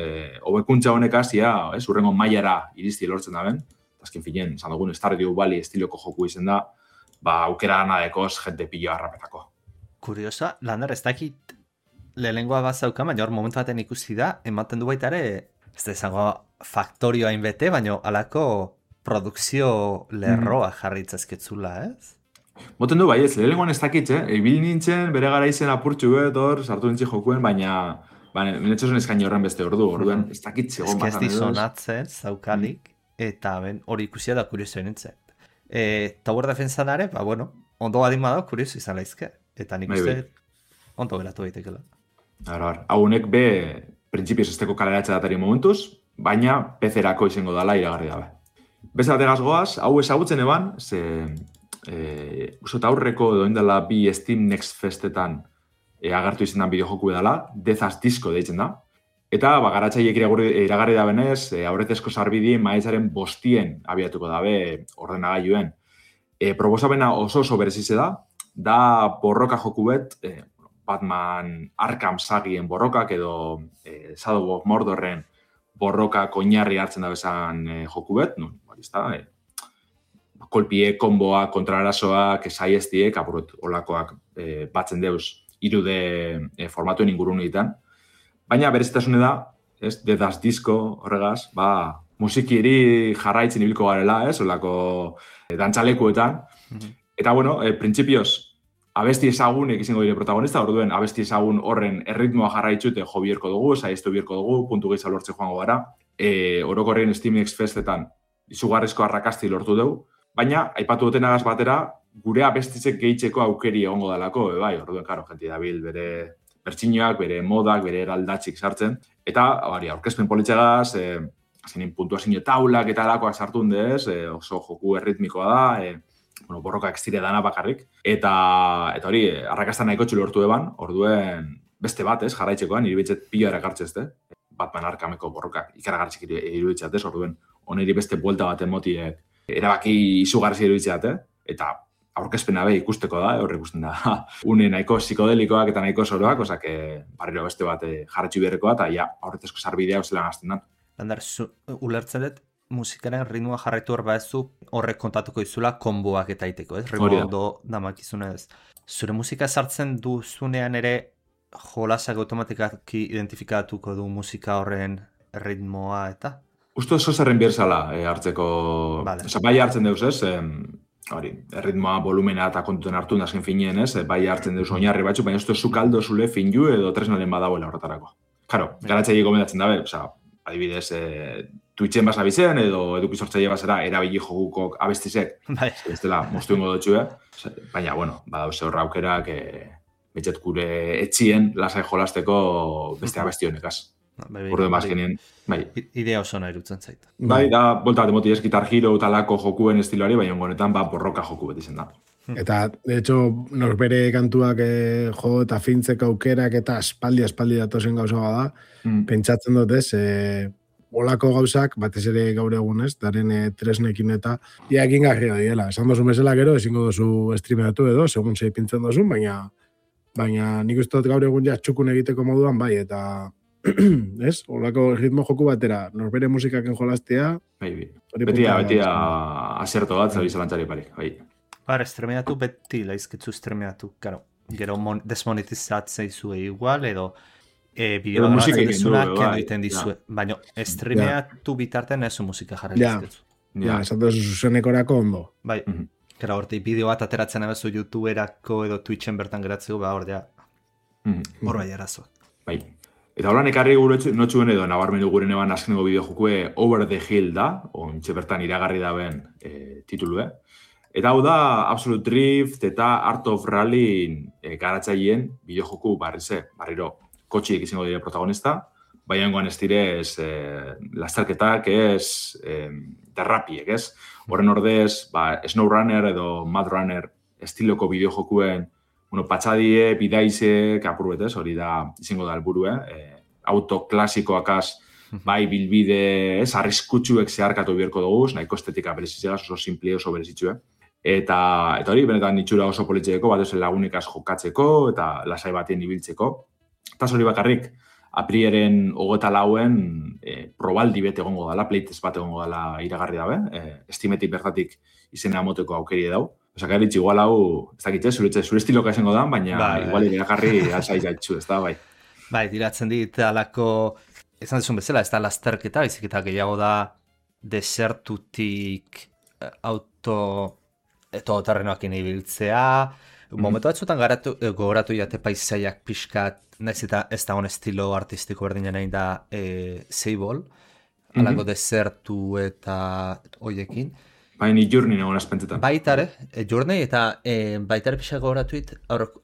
hobekuntza honek hasia, urrengo mailara iristi lortzen da ben, azken finen, zan dugun Stardew Valley estiloko joku izen da, aukera gana dekoz jente pilo harrapetako. Kuriosa, Lander, ez dakit lehenengoa bazauka, baina hor momentu baten ikusi da, ematen du baita ere, ez da izango faktorioa inbete, baina alako produkzio lerroa jarritzazketzula, ez? Moten du bai ez, lehenengoan ez dakit, ibil nintzen, bere gara izen apurtxu hor, sartu nintzi jokuen, baina minetxozen eskaini horren beste orduen, ez dakit zegoen bat. Ez dizonatzen, zaukalik, eta hori ikusia da kurioso nintzen. Tower Defensan ere, bueno, ondo badin bada, kurioso izan laizke. Eta nik uste ondo geratu daitekela. Haunek printzipioz esteko kaleratze datari momentuz, baina PC-erako izango dala iragarri dabe. Beste bategaz goaz, hau ezagutzen eban, usot aurreko edo indela bi Steam Next Festetan agertu izendan bideojoku edala, Death as Disco deitzen da. Eta garatzaileek iragarri da benez, aurretezko sarbidi maiatzaren 5 abiatuko dabe ordenagailuen. Proposapena oso berezize da borroka joku bet, Batman Arkham sagien borrokak edo Shadow of Mordorren borrokak oinarri hartzen da bezan joku bet, kolpie, konboak, kontrarasoak, saiestiek, olakoak batzen deuz irude formatuen ingurun egiten. Baina berezitasune da, Death as Disco horregaz, musikiri jarraitzen ibilko garela, olako dantzalekuetan. Eta, printzipioz, abesti ezagunek izango dire protagonista, orduen abesti ezagun horren erritmoa jarraitzute jo bierko dugu, saiestu bierko dugu, puntu gehiago lortze joango gara. Orokorrien Steam Next Festetan izugarrizko arrakasti lortu dugu, baina, aipatu dutenagaz batera, gure abestitzek gehitzeko aukeri egongo dalako, orduen, karo, jenti dabil bere bertxinoak, bere modak, bere eraldatxik sartzen. Eta, aurkezpen politxegaz, zenin puntuazio taulak eta alakoak sartu hundez, oso joku erritmikoa da, borroka ekstire dana bakarrik. Eta hori, arrakastan nahiko lortu eban, orduen beste bat, jarraitzekoan, iribitzet pila erakartzez, Batman Arkhameko borrokak ikaragartzik iruditzat, orduen, oneri beste buelta bat emotiek erabaki izugarri iruditzat, eta aurkezpena ikusteko da, horre ikusten da, une nahiko psikodelikoak eta nahiko soroak, osak, barriro beste bat jarratxu beharrekoa, eta aurretezko sarbidea zelan azten da. Lander, ulertzen dut, musikaren ritmoa jarraitu hor baezu horrek kontatuko izula konboak eta iteko, ez? Ritmo ondo damakizunez. Zure musika sartzen duzunean ere jolasak automatikaki identifikatuko du musika horren ritmoa eta? Uste oso zerren bierzala hartzeko, bai hartzen deuz, ez? Erritmoa, volumena eta kontuten hartu nazken finien, ez? Bai hartzen deuz oinarri batzu, baina uste zukaldo zule finju edo tresnaren badagoela horretarako. Karo, garatzaile gomendatzen dabe, adibidez, Twitchen basa bizen, edo edukizortzaile basera erabili jogukok abestizek. Ez dela, moztu ingo dutxu, baina, badauze horra aukerak, betxet gure etxien lasai jolasteko beste abesti honekaz. Urde mazkenien, bai. Idea oso nahi dutzen zait. Bai, da, bolta bat emoti ez, Guitar Hero talako jokuen estiloari, baina honetan, borroka joku beti zen da. Eta, de hecho, norbere kantuak jo eta fintzeko aukerak eta espaldi datozen gauza da, pentsatzen dut ez, olako gauzak, batez ere gaur egunez, daren tresnekin eta iakin garria diela. Esan dozun bezala gero, ezingo dozu streameatu edo, segun zei pintzen dozun, baina nik uste dut gaur egun ja txukun egiteko moduan, bai, eta ez, olako ritmo joku batera, norbere musikaken jolastea. Beti aserto bat, zabiz alantzari parik, bai. Estremeatu beti, laizkitzu estremeatu, gero desmonetizatzea izue igual, edo bideo grabatzen dizuna, kendo iten dizue. Baina, estremeatu bitartean ez musika jarri dizkitzu. Esan duzu zuzenekorako ondo. Bai, gara horti bideo bat ateratzen abezu YouTuberako edo Twitchen bertan geratzeko, hor bai arazoak. Bai. Eta holan ekarri notxuen edo nabarmendu guren eban azkeneko bideo jokue Over the Hill da, ontxe bertan iragarri daben titulu, Eta hau da Absolute Drift eta Art of Rally garatzaileen bideojoku barriro kotxiek izango dira protagonista, baina engoan ez direz lasterketak ez derrapiek, ez? Horren ordez, SnowRunner edo Mad Runner estiloko bideojokuen patxadie, bidaizek, apurbetez, hori da izango da helburu, auto klasikoakaz, bai bilbide, arriskutsuek zeharkatu bierko dugu, nahiko estetika berezitzea, oso simple, oso berezitzue. Eta hori, benetan itxura oso politxeko, bat ezen lagunikaz jokatzeko, eta lasai batien ibiltzeko. Eta hori bakarrik, aprieren 24 probaldi bete egongo dela, playtest bat egongo dela iragarri dabe, estimetik bertatik izena amoteko aukeri dau. Osak, eritz, igual hau, ez dakitze, zure estiloka esango da, baina igual iragarri alzai gaitxu, ez da, bai. Bai, diratzen dit, alako, esan dezun bezala, ez da lasterketa, baizik eta gehiago da desertutik autoterrenoakin ibiltzea, momentu batzutan gogoratu jate paisaiak pixkat, nahiz eta ez da estilo artistiko berdinen nahi da Seibol, alako desertu eta hoiekin. Baina Journey nagoen espentzetan. Baitare, Journey eta baitare pixako horatuit,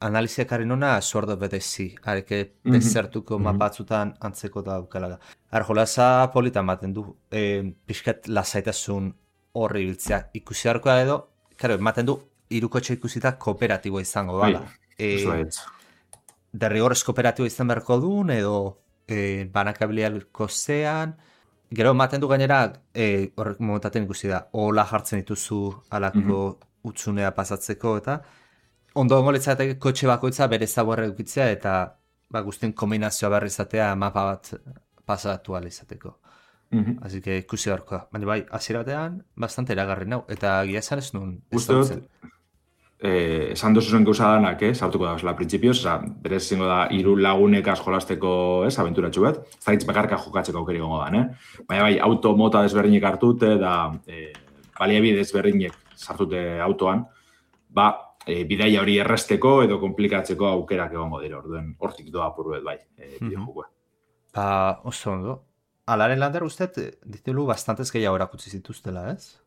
analiziak haren hona Sword of the Sea, hareke desertuko mapatzutan antzeko da aukala da. Jolasa politan baten du, pixkat lasaitasun horri biltzea ikusi harkoa edo, ematen du, irukotxe ikusita kooperatiboa izango dala. Derrigorrez kooperatiboa izan beharko duen, edo banakabiliako zean, gero ematen du gainera, horrek momentaten ikusi da, hola jartzen dituzu alako utsunea pasatzeko, eta ondo ongoletzatek kotxe bakoitza bere zaborra edukitzea, eta guztien kombinazioa berri izatea mapa bat pasatu ala izateko. Así que ikusi beharkoa. Baina bai, hasiera batean, bastante eragarri nau, eta gia esan ez nuen. Esan dozuzen gauza danak, sartuko da bezala printzipioz, berez zingo da hiru lagunekaz jolasteko abenturatxu bat, ez da hitz bakarka jokatzeko aukeri gongo dan, Baina bai, auto mota desberdinek hartute, da baliabide desberdinek sartute autoan, bidaia hori erresteko edo komplikatzeko aukerak egongo dira, orduen hortik doa apurruet bai, bideojokoa. Oso ondo. Alaren Lander usted, ditelu bastantez gehiago erakutsi zituztela, ez?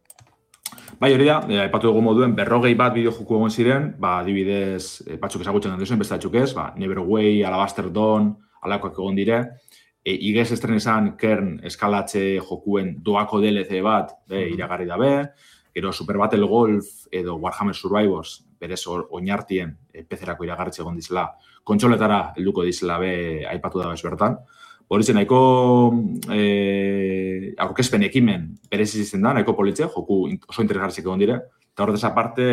Bai, hori da, aipatu dugu moduen 40 bat bideojoku egon ziren, adibidez, batzuk ezagutzen dut beste batzuk ez, Neverway, Alabaster Dawn, alakoak egon dire, igez estren esan Kern eskalatze jokuen doako DLC bat, iragarri dabe, gero Super Battle Golf edo Warhammer Survivors, berez oinartien PC-erako iragarritze egon dizela, kontsoletara helduko dizela aipatu da bez bertan. Hori zen, nahiko aurkezpen ekimen berez izan da, nahiko politzea, joku oso interesgarrizik egon dire, eta horretaz aparte,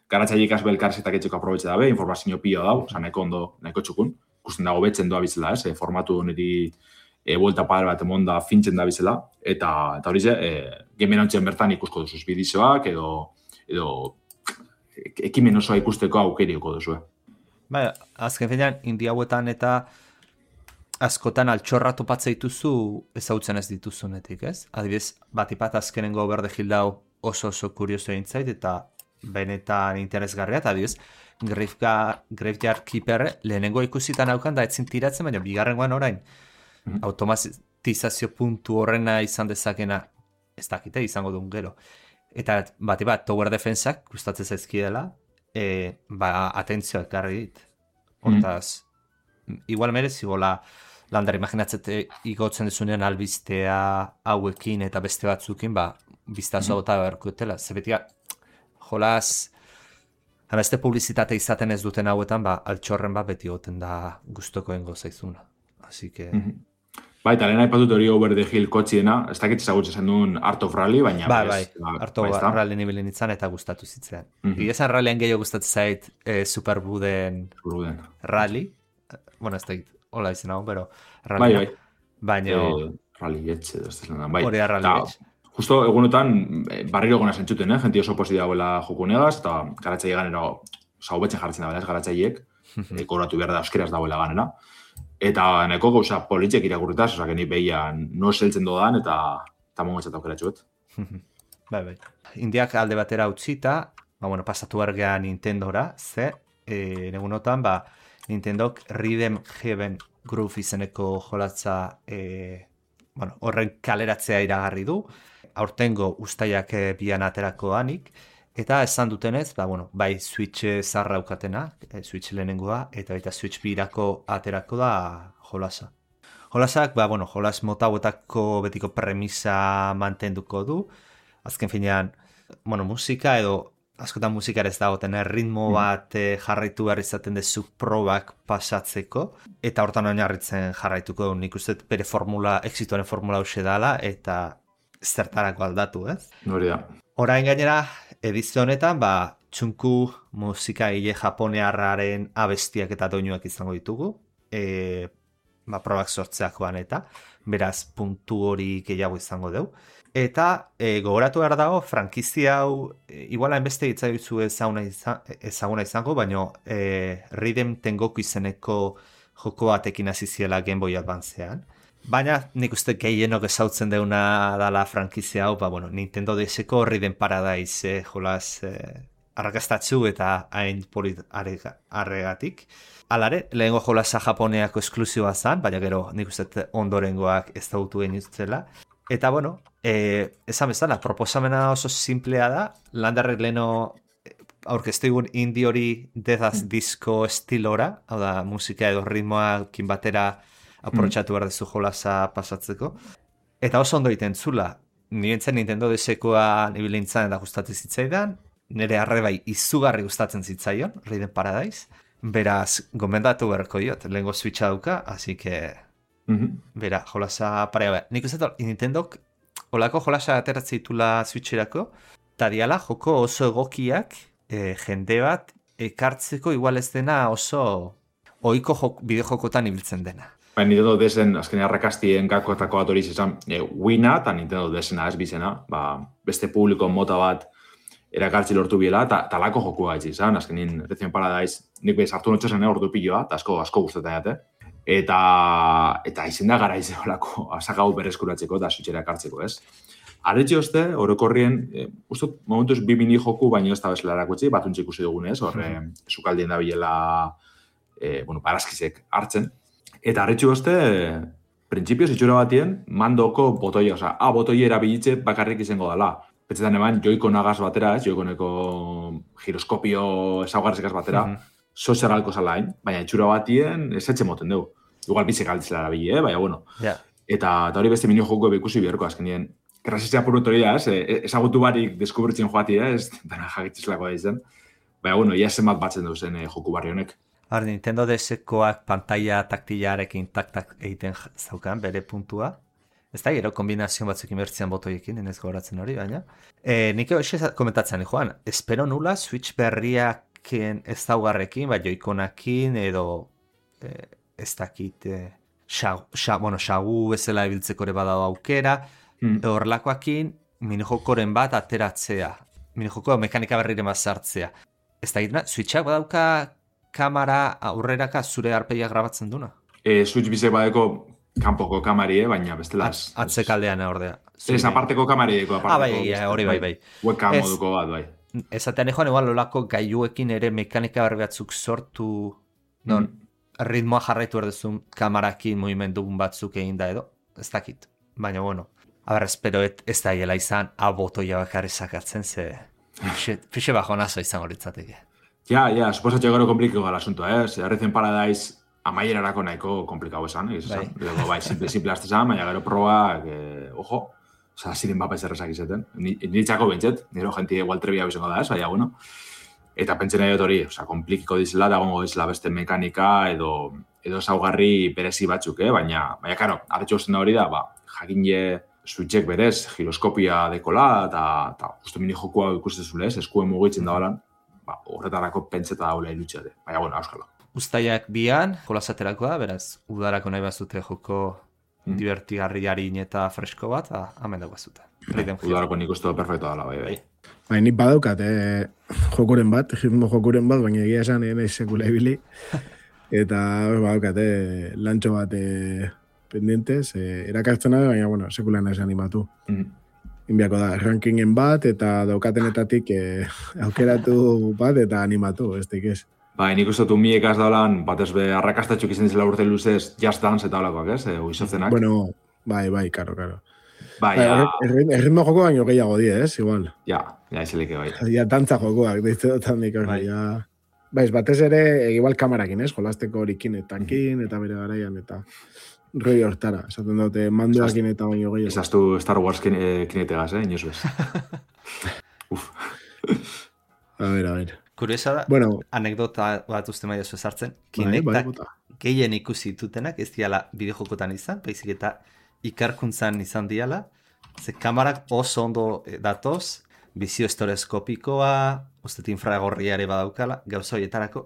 garatzaileik azbe elkarzetak etxeko aprobetxe dabe, informazio pio dau, nahiko ondo, nahiko txukun, ikusten dago betzen doa bizela, formatu niri buelta padre bat emonda fintzen da bizela, eta hori ze, gemen hontzen bertan ikusko duzuz bidizoak, edo ekimen osoa ikusteko aukerioko duzu. Bai, azken finean, India hauetan eta askotan altxorra topatza dituzu ezautzen ez dituzunetik, ez? Adibidez, batipat azkenengo berde hildau oso kurioso eintzait, eta benetan interesgarria, eta adibidez, Graveyard Keeper lehenengo ikusitan haukan da etzin tiratzen, baina bigarrengoan orain automatizazio puntu horrena izan dezakena ez dakite izango duen gero. Eta batipat, Tower Defensak gustatzen zaizkidela, atentzioa ekarri dit. Hortaz, igual merezi gola Lander, imaginatzete igotzen dezunean albistea hauekin eta beste batzukin, biztazoa bota beharkutela. Zebetia, jolaz, beste publizitate izaten ez duten hauetan, altxorren beti goten da gustokoengo zaizuna. Así que... Eta lehen haipatut hori Over the Hill kotxiena, ez dakit ezagutzen zen duen Art of Rally, baina... Art of Rally nibilen itzan eta gustatu zitzen. Igezan rallyen gehiago gustatzen zait Superbuden Rally. Bueno, ez dakit, hola izan hau, pero... Bai. Baina... Rally etxe, ez da bai. Hori da Rally etxe. Justo egunotan, barriro gona zentzuten, jenti oso posi dagoela jokunegaz, eta garatzaile ganera, hobetzen jartzen da, garatzaileek, kobratu behar da euskeraz dagoela ganera. Eta nahiko gauza politxek irakurritaz, osak ni behian no seltzen dodan, eta mongotzat aukeratxuet. Bai. Indiak alde batera utzita, pasatu argean Nintendora, negunotan, Nintendok Rhythm Heaven Groove izeneko jolatza horren kaleratzea iragarri du, aurtengo ustaiak bian aterako anik, eta esan dutenez, bai Switch zarra aukatena, Switch lehenengoa, eta baita Switch birako aterako da jolasa. Jolasak, jolas mota hauetako betiko premisa mantenduko du, azken finean, musika edo askotan musikara ez dagoten, ritmo bat jarraitu behar izaten dezu probak pasatzeko, eta hortan oinarritzen jarraituko du, nik uste bere exitoaren formula hause dala, eta zertarako aldatu, ez? Hori da. Orain gainera, edizio honetan, txunku musika hile japonearraren abestiak eta doinuak izango ditugu, probak sortzeakoan eta, beraz, puntu hori gehiago izango dugu. Eta gogoratu behar dago, frankizia hau, iguala enbeste hitzaizu ezaguna izango, baina Rhythm Tengoku izeneko joko batekin hasi ziela Game Boy Advancean. Baina nik uste gehienok ezautzen deuna dala frankizia hau, Nintendo DS-eko Rhythm Paradise jolaz arrakastatzu eta hain polit arregatik. Alare, lehengo jolaza japoneako esklusiboa zan, baina gero nik uste ondorengoak ez dautu egin zela. Eta, bueno, esan bezala, proposamena oso simplea da, Landerrek leno aurkeztu egun indie hori death disco estilora, hau da, musika edo ritmoakin batera aprotxatu behar dezu jolasa pasatzeko. Eta oso ondo egiten zula, nirentzen Nintendo DS-koa nibilintzan eta gustatzen zitzaidan, nire arrebai izugarri gustatzen zitzaion, Raiden Paradise, beraz, gomendatu beharko diot, lehengo Switcha dauka, así que... Bera, jolasa parea behar. Nik uste Nintendok olako jolasa ateratzen ditula Switcherako, eta diala joko oso egokiak jende bat ekartzeko igual ez dena oso ohiko bideojokotan ibiltzen dena. Nintendo desen, azken arrakastien gakoetako bat hori izan, Wiina eta Nintendo desena ez bizena, beste publiko mota bat erakartzi lortu biela, eta talako jokua ez izan, azkenin Raiden Paradise, nik behiz hartu notxosen ordu piloa, eta asko gustatzen jate. Eta izen da gara izolako asakau berreskuratzeko eta Switchera ekartzeko, ez? Arretxe oste, orokorrien, ustot, momentuz 2 mini joku, baina ez da bezala erakutzi, batuntxe ikusi dugun, ez? Horre, sukaldien da bilela, barazkizek hartzen. Eta arretxe oste, printzipioz itxura batien, mandoko botoia, oza, botoia erabilitze bakarrik izango dela. Petzetan eban, joikonagaz batera, ez? Joikoneko giroskopio ezaugarrizekaz batera, sozialko zalain, baina itxura batien ez etxe moten dugu. Igual bizek altzela erabili, baina bueno. Yeah. Eta hori beste minio joko ikusi beharko azkenien. Grazizia purut hori da, ezagutu barik deskubritzen joatia, ez dana jagitzizlako da izan. Baina bueno, ia zenbat batzen duzen joku barri honek. Nintendo DS-koak pantalla taktilarekin tak-tak egiten zaukan, bere puntua. Ez da, gero kombinazio batzukin bertzian botoiekin, enez goratzen hori, baina. Nik hoxe komentatzen, Joan, espero nula Switch berriaken ez daugarrekin, joikonakin edo ez dakit, xagu bezala ebiltzeko ere badago aukera, horrelakoakin minijokoren bat ateratzea, minijoko mekanika berriren bat sartzea. Ez dakit, Switchak badauka kamera aurreraka zure arpeia grabatzen duna? Switch bizek badeko kanpoko kamari, baina bestela... Atzekaldean ordea. Ez aparteko kamari deko, hori bai. Webcam moduko bat, bai. Ezatean joan, igual olako gaiuekin ere mekanika berri batzuk sortu, ritmoa jarraitu erdezun kamarakin movimendugun batzuk egin da edo, ez dakit. Baina, bueno, espero ez da hiela izan, botoia bakarri sakatzen, ze fixe bajo nazo izan horitzateke. Ja, suposatxe gero komplikiko gala asuntua, Raiden Paradise amaierarako nahiko komplikau esan, bai, simple aztezan, baina gero proba, ojo, ziren bapa ezerrezak izeten. Niretzako bentset, nire jenti igual trebia bizongo da ez, baina, bueno. Eta pentsen nahi dut hori, komplikiko dizela, dagoengo dizela beste mekanika edo zaugarri berezi batzuk, baina, karo, arretxo guztien da hori da, jakine Switchek berez, giroskopia dekola, eta justu mini jokua ikustezule ez, eskuen mugitzen da balan, horretarako pentseta daula ilutxeate, baina, bueno, auskalo. Uztaiak bian, jolasaterako da, beraz, udarako nahi bazute joko divertigarri harin eta fresko bat, hamen dago bazute. Udarako nik uste perfecto dala, bai. Bai, nik badaukat, jokuren bat, ritmo jokuren bat, baina egia esan nahi sekula ibili. Eta badaukat, lantxo bat pendientes, erakartzen nahi, baina, bueno, sekula nahi animatu. Inbiako da, rankingen bat, eta daukatenetatik aukeratu bat, eta animatu, ez ez. Bai, nik uste dut miek az daulan, batez be arrakastatxuk izan dizela urte luzez, Just Dance eta olakoak, ez? Uizozenak. Bueno, bai, karo. Bai, ja... Erritmo joko baino gehiago die, ez? Igual. Ja, eselike bai. Ja, dantza jokoak, deitze dutan dik, ja... Baiz, batez ere, igual kamerakin, ez? Jolasteko horikin etakin, eta bere garaian, eta... Roi hortara, esaten daute, mandoakin eta baino gehiago. Ezaztu Star Wars kinetegaz, inoz bez. Uf. A ver. Kuriosa da, bueno, anekdota bat uste maia zuezartzen, Kinectak gehien ikusi dutenak ez diala bideojokotan izan, baizik eta ikarkuntzan izan diala, ze kamarak oso ondo datoz, bizio estoreskopikoa, ustet infragorriare badaukala, gauza horietarako,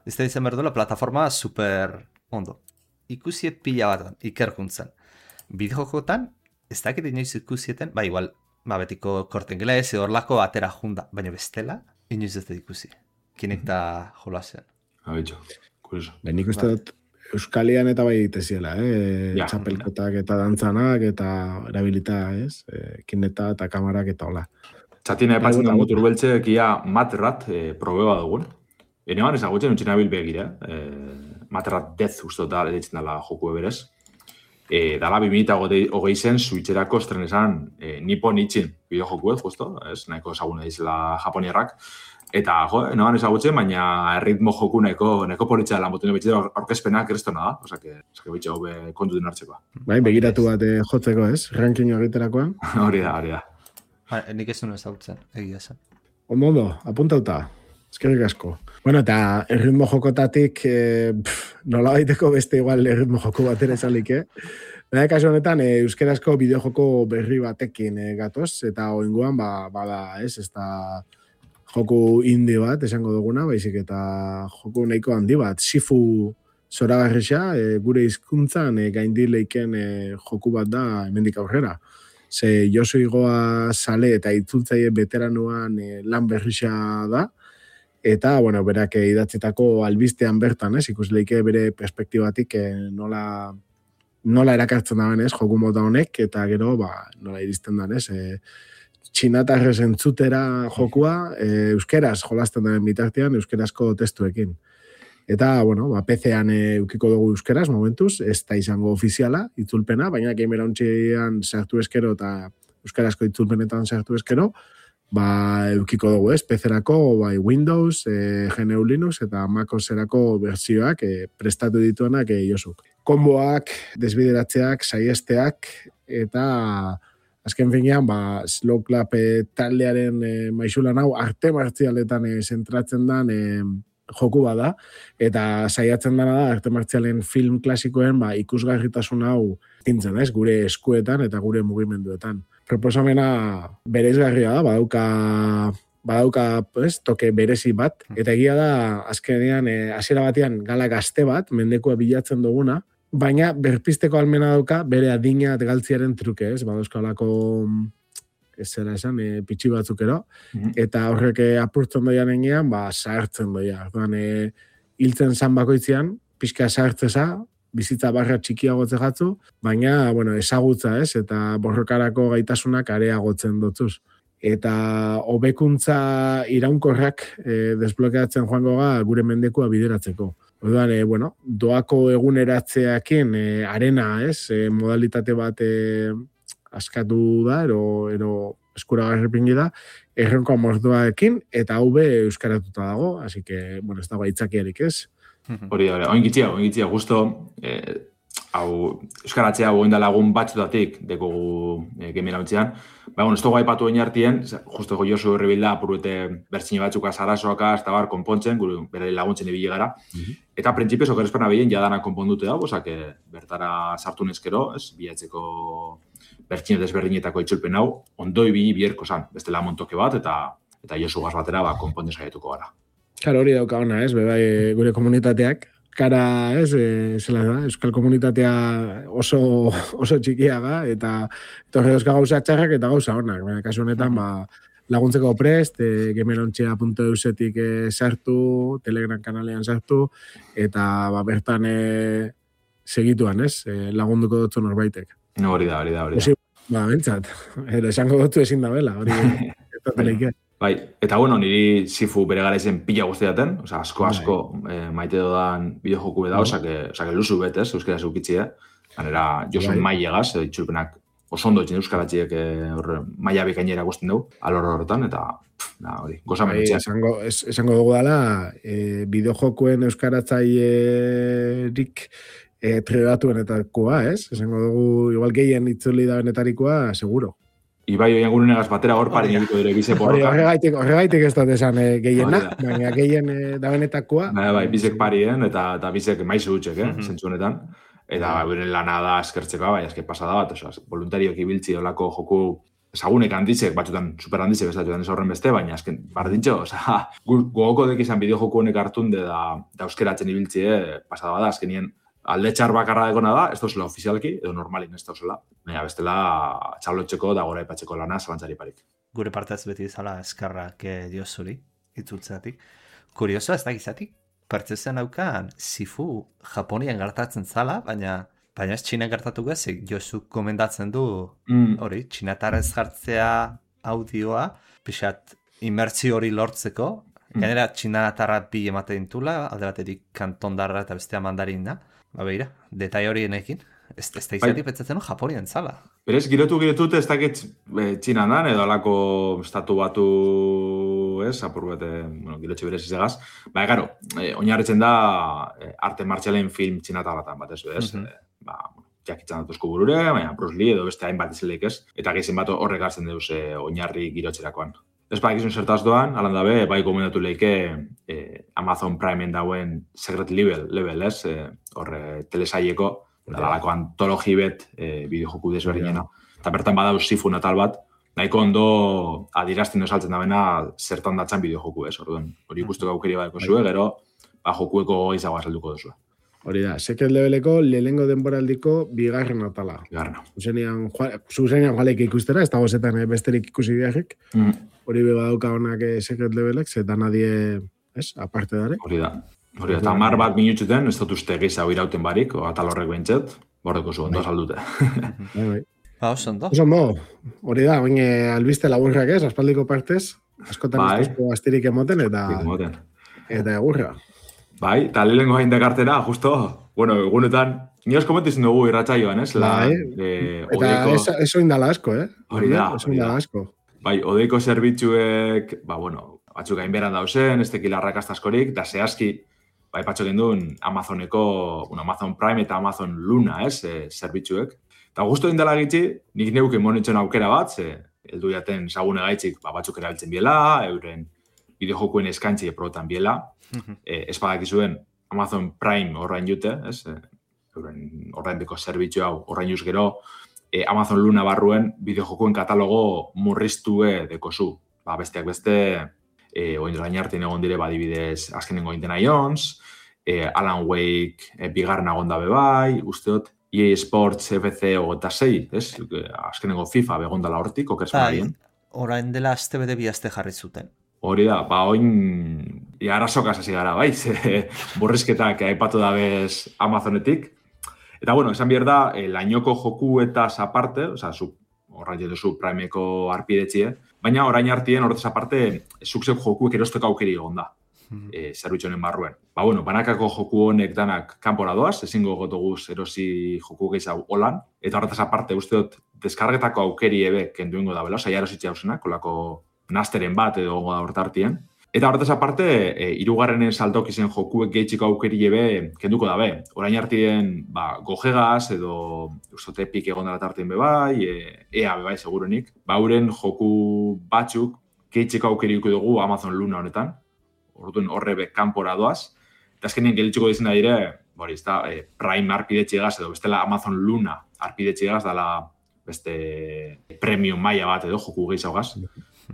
ez da izan berdola, plataforma super ondo. Ikusie pila bat ikerkuntzan. Bideojokotan, ez dakit inoiz ikusieten, igual, betiko kortengelez, horlako atera junda, baina bestela, inoiz ez da ikusi. Kinecta jolasean. Abitxo, kurioso. Nik uste dut Euskalian eta bai diteziela, txapelkotak eta dantzanak eta erabilita, ez? Kinecta eta kamarak eta hola. Txatina epatzen da motur beltze, kia Matrat probeba dugun. Enean ezagutzen untxina bilbegira. Matrat Death uste da editzen dela joku eberez. Dala 2020 zen Switcherako estrenesan Nippon Ichin bideojokuet, justo, ez? Nahiko ezaguna dizela japonierrak. Eta, noan ezagutzen, baina ritmo joku nahiko politxa dela motu nebetxe aurkezpenak kristona da. Osake bitxe hobe kontuten hartzekoa. Bai, begiratu bat jotzeko, ez? Ranking egiterakoan. Hori da. Nik ez duen ezagutzen, egia zen. Ondo, apuntauta. Eskerrik asko. Bueno, eta erritmo jokotatik nola baiteko beste igual erritmo joko batera esalik, Baina, kasu honetan, euskerazko bideojoko berri batekin gatoz, eta oingoan, bada, ez da joku indie bat, esango duguna, baizik eta joku nahiko handi bat. Shifu zoragarrisa, gure hizkuntzan gaindileiken joku bat da hemendik aurrera. Ze Josu Igoa sale eta itzultzaile veteranoan lan berrisa da, eta, bueno, berak idatzitako albistean bertan, ikusleike bere perspektibatik nola erakartzen da benez, joku mota honek, eta gero, nola iristen da, txinatarrez entzutera jokua, euskeraz jolasten den bitartean, euskerazko testuekin. Eta, bueno, PC-an eukiko dugu euskeraz, momentuz, ez da izango ofiziala, itzulpena, baina gamerontxean sartu eskero eta euskerazko itzulpenetan sartu eskero, eukiko dugu, PC-erako, Windows, GNU Linux eta MacOS-erako bertsioak prestatu dituenak Josuk. Konboak, desbideratzeak, saiesteak, eta azken finean, Slow Clap taldearen maixulan hau arte martzialetan zentratzen den joku bada, eta saiatzen dena da arte martzialen film klasikoen ikusgarritasun hau tintzen, gure eskuetan eta gure mugimenduetan. Proposamena bereizgarria da, badauka toke berezi bat, eta egia da azkenean hasiera batean gala gazte bat, mendekua bilatzen duguna, baina berpisteko almena dauka bere adina galtziaren truke, badauzkalako zera esan, pitxi batzukero, eta horrek apurtzen doian enean, zahartzen doia. Hiltzen zan bakoitzean, pixka zahartzeza, bizitza barra txikiagotze jatzu, baina, ezagutza, eta borrokarako gaitasunak areagotzen dotzuz. Eta hobekuntza iraunkorrak desblokeatzen joango gure mendekua bideratzeko. Orduan, doako eguneratzeakin arena, modalitate bat askatu da, ero eskuragarripingi da, erronko amordoaekin, eta hau euskaratuta dago, así que, ez dago aitzakiarik, ez? Hori, oingitzia, justo, euskaratzea goinda lagun batzutatik dekogu gemirautzean, ez dugu aipatu oinartien, justo Josu Herribilda apurute bertzine batzuka zarasoaka, ez da konpontzen, bere laguntzen ibili gara, eta printzipioz okerezpana behien jadana konpondute da, bertara sartu nezkero, bilatzeko bertzine desberdinetako itzulpen hau, ondo ibili bierko zan, bestela montoke bat, eta Josu gaz batera konpontzen saietuko gara. Karo, hori dauka ona, bebai gure komunitateak, kara, zela da, euskal komunitatea oso txikia da, eta horre euskal gauza txarrak eta gauza honak. Kasu honetan, laguntzeko prest, gemerontxea.eusetik sartu, Telegram kanalean sartu, eta bertan segituan, lagunduko dutzu norbaitek. No, hori da. Bentsat, esango dutzu ezin da bela, hori ez da. Bai, eta niri Sifu bere garaizen pila guztiaten, asko maite dodan bideojoku da, osake luzu betez, euskaraz eukitzie, ganera Josu mailegaz, itxulpenak oso ondo etxen euskaratziek maila bikainera guztien dugu, alor horretan, eta hori, gozamen etxea. Esango dugu dela, bideojokuen euskaratzailerik trebatuenetakoa, esango dugu, igual gehien itzuli da benetarikoa, seguro. Ibai oian gurunegaz batera hor pari egiko dire bize porroka. Horregaitik ez dut esan gehiena, baina gehien da benetakoa. Bai, bizek parien eta bizek maizu utxek, zentzu honetan. Eta beren lana da eskertzeko, bai, eske pasada bat, voluntarioak ibiltzi olako joku ezagunek handizek, batzutan super handizek, ez horren beste, baina esken bardintxo, gogoko dek izan bideo joku honek hartunde da euskeratzen ibiltzie, pasada bada, azkenien alde txar bakarra egona da, ez dozela ofizialki, edo normalin ez dozela, baina bestela txablotxeko da gora ipatzeko lana zalantzari parik. Gure partez beti izala eskarrak Josuri, itzultzeatik. Kurioso ez da gizatik, pertzezen daukan Sifu Japonian gertatzen zala, baina ez Txina gertatu gezik, Josu komendatzen du, hori, txinatarrez jartzea audioa, pixat imertzio hori lortzeko, gainera txinatarra bi ematen dintula, alde batetik kantondarra eta bestea mandarina, beira, detai horienekin, Ez da izatik petzatzen Japonian zala. Berez, girotu, ez dakit Txinan dan, edo alako estatu batu, apur bete, girotxe berez izegaz. Garo, oinarritzen da arte martxalen film txinatalatan bat, ez? Jakitzen datuzko burure, baina Bruce Lee edo beste hainbat izileik ez, eta gehizien bat horrek hartzen deuz oinarri girotxerakoan. Ez bakizun zertaz doan, alan dabe, bai gomendatu leike Amazon Primeen dauen Secret Level, ez? Horre telesaileko, dalako antologi bet bideojoku desberdinena. Eta bertan badau Sifu natal bat, nahiko ondo adirazten saltzen dabena zertan datzan bideojoku, ez? Hori ikustuko aukeri badeko zue, gero jokueko izago azalduko duzu. Hori da, Secret Leveleko lehenengo denboraldiko bigarren atala. Zuzenean joalek ikustera, ez dago zetan besterik ikusi biharrik. Hori beba dauka honak Secret Levelek, zetan nadie, aparte dare. Hori da, eta 10 bat minutxuten, ez dut uste gehiago irauten barik, atal horrek behintzet, bordeko zu, ondo saldute. Oso ondo. Hori da, baina albiste laburrak ez, aspaldiko partez, askotan ez duzko astirik emoten, eta egurra. Bai, eta lehenko hain dekartera, justo, egunetan, nioz komentizen dugu irratsaioan, ez? Eta eso indala asko, Hori da. Bai, odeiko zerbitzuek, batzuk hain beran dauzen, ez tekila arrakastaskorik, da zehazki, bai, patxo genduen Amazoneko, Amazon Prime eta Amazon Luna, ez, zerbitzuek. Eta justo indala gitzi, nik neuke monitzen aukera bat, heldu jaten zagune gaitzik, batzuk erabiltzen biela, euren bideojokuen eskaintzi probetan biela, ez badakizuen Amazon Prime horrein jute, horrein beko zerbitzu hau, horrein juz gero, Amazon Luna barruen bideojokuen katalogo murriztue dekozu. Besteak beste, oindolain hartin egon dire, badibidez, azkenengo Indiana Jones, Alan Wake bigarren agon dabe bai, usteot, EA Sports FC 26, azkenengo FIFA begondala hortik, okersmarien. Orain dela azte bete bi azte jarri zuten. Hori da, oin arazokaz hasi gara, bai, borrizketak aipatu dabez Amazonetik. Eta, esan behar da, lainoko joku eta aparte, horrein jetuzu Primeko arpidetxie, baina orain hartien horretaz aparte, zukzek jokuek erosteko aukeri egon da, zerbitzu honen barruen. Banakako joku honek danak kanpora doaz, ezingo gotoguz erosi joku gehiago holan, eta horretaz aparte, uste dut, deskargetako aukeri ebe kenduingo da bela, erositxe hausenak, kolako nasteren bat edo goda hortartien. Eta horretaz aparte, hirugarrenen saltok izen jokuek gehitxiko aukeri ebe kenduko dabe. Orain hartien gogegaz edo ustote epik egon dara tartien bebai, ea bebai segurenik. Uren joku batzuk gehitxiko aukeri dugu Amazon Luna honetan. Horre kanpora doaz. Eta azkenien gehitxiko dizen da dire, Prime arpidetxigaz edo bestela Amazon Luna arpidetxigaz dala beste premium maila bat edo joku gehiagaz.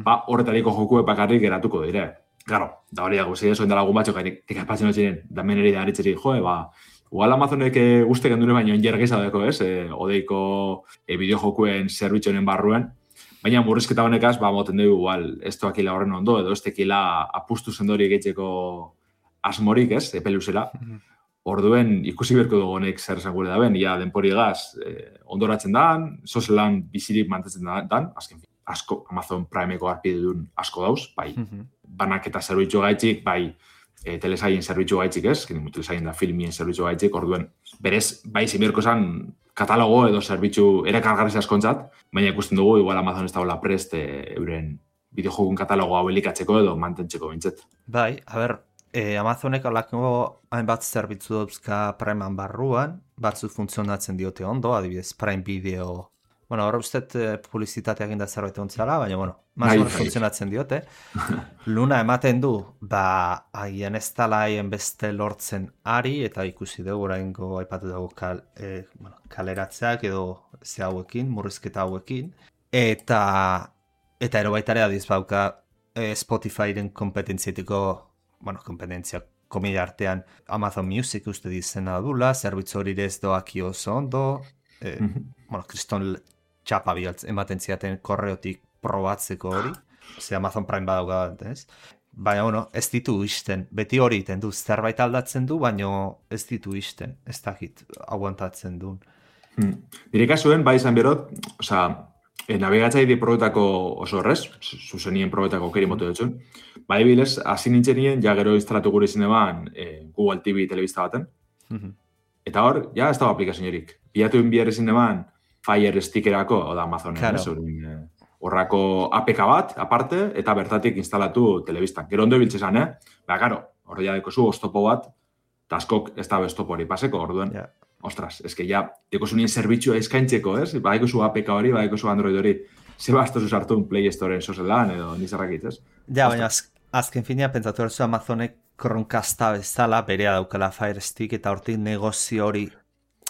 Horretariko jokuek bakarrik geratuko dire. Claro, da hori dago, zei esoen dalagun batxok, ekapatzen hori damen eri da haritzeri, igual Amazonek uste gendune baino enjergeza deko, odeiko bideojokuen zerbitzonen barruen, baina murrizketa honekaz, moten dugu, igual, ez toakila horren ondo, edo ez tekila apustu zendori egitzeko asmorik, epeluzela. Orduen ikusi berko dugu honek zer esan gure daben, denpori egaz, ondoratzen dan, sozelan bizirik mantetzen dan, azken fin. Asko, Amazon Primeko arpide duen asko dauz, bai, banaketa zerbitzu gaitxik, bai, telesaien zerbitzu gaitxik ez, telesaien da filmien zerbitzu gaitxik, orduen, berez, bai, zimerko esan katalogo edo zerbitzu erakargarri askontzat, baina ikusten dugu, igual Amazon ez dagoela prest euren bideojokun katalogo hau elikatzeko edo mantentzeko bintzet. Bai, Amazonek alako hainbat zerbitzu dauzka Primean barruan, batzuk funtzionatzen diote ondo, adibidez, Prime Video. Hor ustet publizitateak inda zerbait ontzala, baina, mazor funtzionatzen diote. Luna ematen du, haien ez tala haien beste lortzen ari, eta ikusi dugu, oraingo aipatu dugu kaleratzeak edo ze hauekin, murrizketa hauekin. Eta ero baitare adiz bauka Spotifyren kompetentzietiko, kompetentzia komila artean Amazon Music uste dizena dula, zerbitzu hori ez doaki oso ondo, kriston txapa bihaltz ematen ziaten korreotik probatzeko hori. Amazon Prime badauka bat, ez? Baina, ez ditu isten. Beti hori iten du, zerbait aldatzen du, baina ez ditu isten. Ez dakit, aguantatzen duen. Nire kasuen, bai izan berot, nabigatzaide probetako oso horrez, zuzenien probetako keri motu dutxun. Bai bilez, hasi nintzenien, ja gero instalatu gure izin eban Google TV telebista baten. Eta hor, ja ez dago aplikazioerik. pilatu inbier ezin eman Fire Stickerako, oda Amazonen, claro. Horrako APK bat, aparte, eta bertatik instalatu telebistan. Gero ondo biltzezan, Garo, hor ja dekozu oztopo bat, eta askok ez da beztopo hori paseko, orduen. Yeah. Ostras, eske ja, dekozu nien zerbitzua eskaintzeko, Badekozu APK hori, badekozu Android hori. Zeba astozu sartu un Play Storeen sozelan, edo nizarrakitz, ez? Ja, baina azken finia, pentsatu erzu Amazonek Chromecasta bezala, berea daukala Fire Stick, eta hortik negozio hori,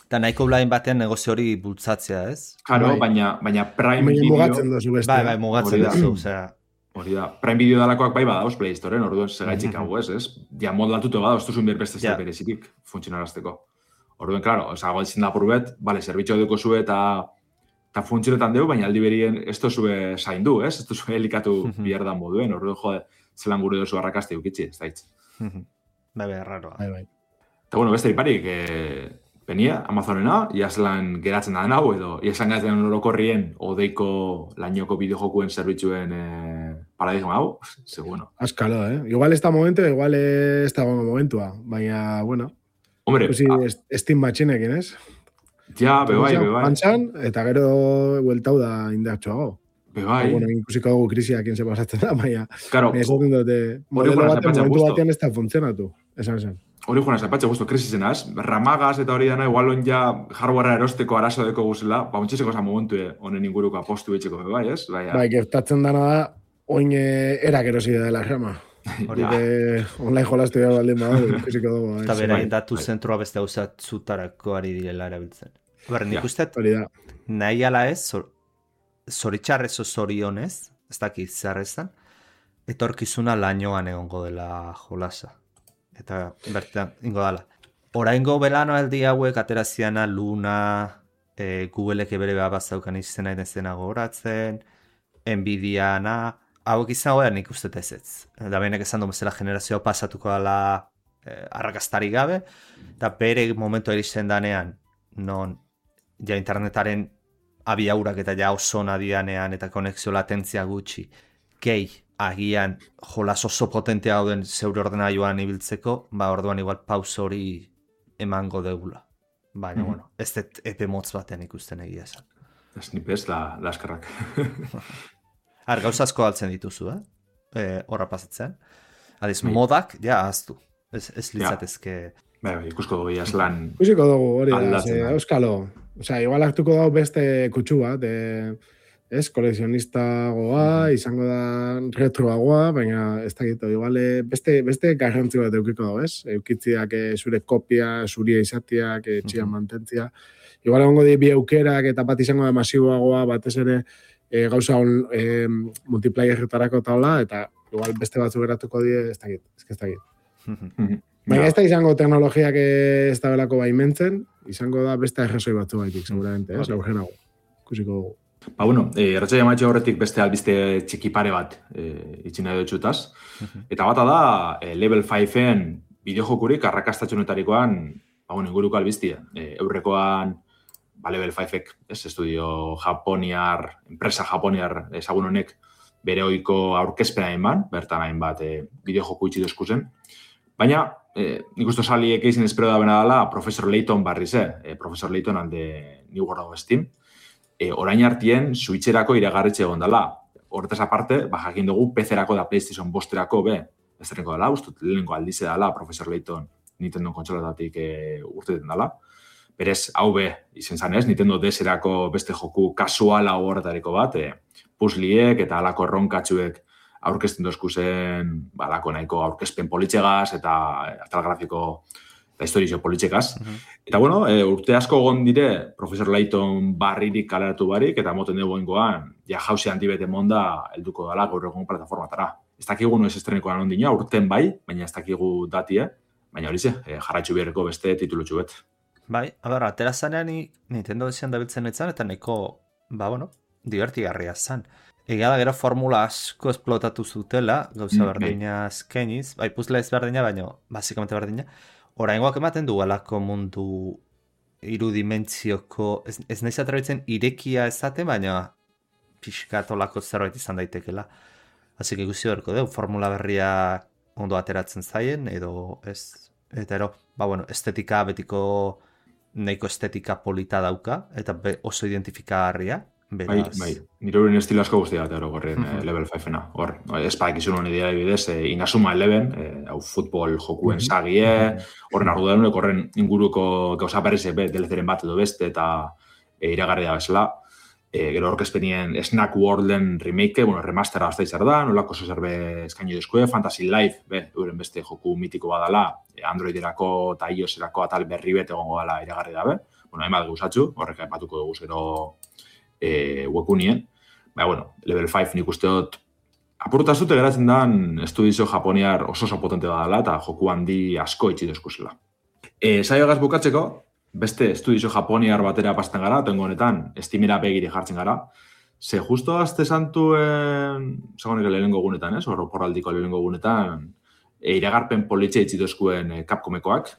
eta nahiko blain batean negozio hori bultzatzea, ez? Claro, baina Prime Video... Mugatzen dozu beste. Bai, mugatzen dozu, osea... Hori da, Prime Video dalakoak bai badauz Play Storeen, orduan segaitzik hau, ez? Ja, moldatutu badauz, duzun berbeste zer berezitik funtzionarazteko. Orduan, claro, hago ezin da purbet, vale, zerbitxo deko zue eta funtzionetan deu, baina aldi berien ez dozue zaindu, ez? Ez dozue helikatu bierdan moduen, orduan, jode, zelan gure dozu arrakazte ukitzi, ez daitz. Bai, raroa. Bai. Eta, bueno, beste iparik, Penia, Amazonena, ia zelan geratzen da hau, edo ia zelan geratzen orokorrien odeiko lainoko bideojokuen zerbitzuen paradigma hau, bueno. Azkalo, Igual ez da momentu, igual ez da momentua, baina, bueno. Hombre, Steam batxinekin, ez? Ja, bebai. Pantxan, eta gero bueltau da indartxoago. Bebai. Bueno, ikusiko dugu krisiak se pasatzen da, baina. Claro. Esaten dute, modelo baten momentu batean ez da funtzionatu. Esan. Hori joan azapatxe guztu, krisizenaz. Ramagaz eta hori dana, igual on ja hardwarea erosteko arazo deko guzela, ontxezeko za momentu honen inguruko apostu betxeko bebai, ez? Bai, gertatzen dana da, oin erak erosi dela rama. Hori online jolastu gara baldin badago, ikusiko dugu. Eta berain datu zentroa beste zutarako ari direla erabiltzen. Berren, nik uste, nahi ala ez, zoritxarrez o zorionez, ez dakit zarrezan, etorkizuna lainoan egongo dela jolasa. Eta bertan, ingo dala. Oraingo belano aldi hauek ateraziana Luna, Googleek bere bazaukan izena izena gogoratzen, Nvidiana, hauek izan goea nik uste ez. Da behinek esan du bezala generazioa pasatuko dela arrakastari gabe, eta bere momentu iristen danean, non ja internetaren abiaurak eta ja oso nadianean eta konexio latentzia gutxi, gehi agian jolas oso potentea dauden zeure ordenailuan ibiltzeko, orduan igual pausa hori emango deula. Baina, bueno, ez dut epe motz batean ikusten egia esan. Ez nipez, laskarrak. Gauza asko altzen dituzu, horra pasatzen. Adiz, modak, ja, aztu. Ez litzatezke... Ikusko dugu jaslan... Ikusiko dugu, hori da, euskalo. Osea, igual hartuko dago beste kutsu bat, kolekzionista goa, izango da retroagoa, baina ez dakit, igual beste garrantzi bat eukiko dago, ez? Eukitziak zure kopia, zuria izatiak, txian mantentzia. Igual egongo bi eukerak eta bat izango da masiboagoa, batez ere gauza multiplayerretarako taula, eta igual beste batzu geratuko die, ez dakit. Baina ez da izango teknologiak ez da belako baimentzen, izango da beste errazoi batzu baitik, seguramente, ez? Laurgenago, ikusiko dugu. Bueno, erratxai amatxe horretik beste albiste txikipare bat itxina edo txutaz. Eta bata da, Level 5-en bideojokurik arrakastatxonetarikoan, inguruko albiztia. Eurrekoan, Level 5-ek, estudio japoniar, enpresa japoniar ezagun honek, bere oiko aurkezpena eman, bertan hainbat bideojoku itxi dozkuzen. Baina, nik uste saliek izin espero da bena dela, Professor Layton barriz, Professor Layton alde New World of Steam, orain hartien Switcherako iragarritxe egon dela. Horretaz aparte, jakin dugu PC-erako da PlayStation 5-erako ez derrenko dela, ustut lehenko aldize dela Professor Layton Nintendo kontsolatatik urteten dela. Berez, hau izen zanez, Nintendo DS-erako beste joku kasuala horretariko bat, puzzliek eta alako erronkatxuek aurkezten dozkuzen, alako nahiko aurkezpen politxegaz eta atal grafiko eta historizio politxekaz. Eta, bueno, urte asko egon dire, Professor Layton barririk kaleratu barik, eta moten dugu ingoan, ja jauzi handibete monda helduko dela gaur egun plataformatara. Ez dakigu noiz estrenikoan ondina, urten bai, baina ez dakigu datie, baina hori ze, jarraitzu beharreko beste titulutxu bet. Bai, atera zanean Nintendo esian dabiltzen etzan, eta neko, divertigarria zan. Egia da gero formula asko esplotatu zutela, gauza berdina azkeniz, puzzle ez berdina, baina basikamente berdina. Oraingoak ematen du alako mundu irudimentzioko, ez nahiz atrebitzen irekia ezaten, baina pixkatolako zerbait izan daitekela. Hasik ikusi berko dugu, formula berria ondo ateratzen zaien, edo ez. Eta estetika betiko nahiko estetika polita dauka, eta oso identifikagarria. Bai, nire horien estilo asko guztia bat gorren level 5-ena. Hor, espaik izun honi dira bidez, Inazuma 11, hau futbol jokuen sagie, horren ardudarunek, horren inguruko gauza berriz delezeren bat edo beste, eta iragarri da bezala. Gero orkezpenien Snack Worlden remake, remastera gazta izar da, nolako zerbe eskaino dezkue, Fantasy Life, euren beste joku mitiko badala, Androiderako eta iOS-erako atal berri bet egongo dela iragarri dabe. Hainbat gauzatxu, horrek aipatuko dugu zero webunien. Level 5 nik uste dut apurtazute geratzen dan estudizio japoniar oso potente badala eta joku handi asko itxi dezkuzela. Saioagaz bukatzeko, beste estudizio japoniar batera pasten gara, tengo honetan, Steamera begiri jartzen gara. Ze justo azte santuen, zagonek lehenengo gunetan, porraldiko lehenengo gunetan, iragarpen politxe itxi dezkuen Capcomekoak.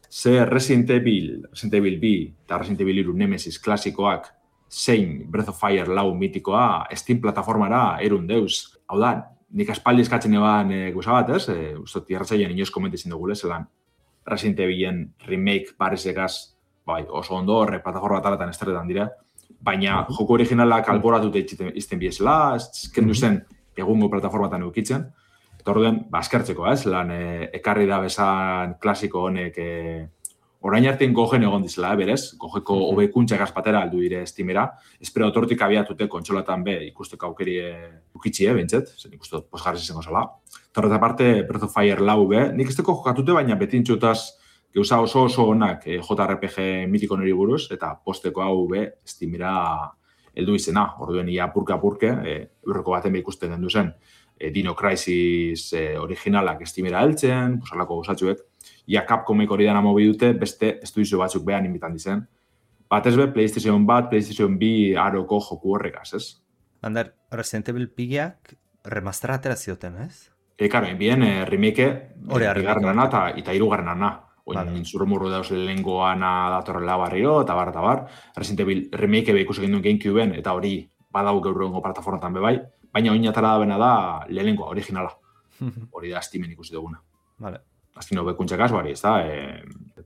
Ze Resident Evil 2 eta Resident Evil 3 Nemesis klasikoak zein Breath of Fire 4 mitikoa Steam plataformara erun deuz. Hau da, nik aspaldi eskatzen eban guza bat, ustot, irratzaien inoz komentizin dugu zelan Resident Evilen remake parezekaz, oso ondo horre plataforma talatan estretan dira, baina joko originalak alboratute izten biezela, eskendu zen egungo plataformatan eukitzen, eta orduen, askertzeko, zelan ekarri da bezan klasiko honek orain artean gogen egon dizela, berez, gogeko hobekuntxak azpatera aldu dire Steamera, espero otortik abiatute kontsolatan ikusteko aukeri ukitxie, bentzet, zen ikustu posgarri izango zela. Eta horret aparte, Breath of Fire 4 nik ez teko jokatute, baina betintxutaz geuza oso onak JRPG mitiko nori buruz, eta posteko hau Steamera heldu izena, orduen ia apurke, eurreko baten ikusten den duzen, Dino Crisis originalak Steamera heltzen, posalako gozatxuek, ia Capcomek hori dana mobi dute, beste estudizio batzuk behan inbitan dizen. Batez be, PlayStation 1, PlayStation 2 aroko joku horrekaz, ez? Ander, Resident Evil pigiak remastera atera zioten, ez? Karo, enbien remake bigarrenana eta hirugarrenana. Oin zurrumurru dauz lehengoana datorrela barriro, eta bar. Resident Evil remake ikusi genduen GameCubeen, eta hori badau gaur egungo plataformatan bebai, baina oin atara da bena da lehengoa, originala. Hori da Steamen ikusi duguna. Vale. Azkino bekuntxak azuari, ez da?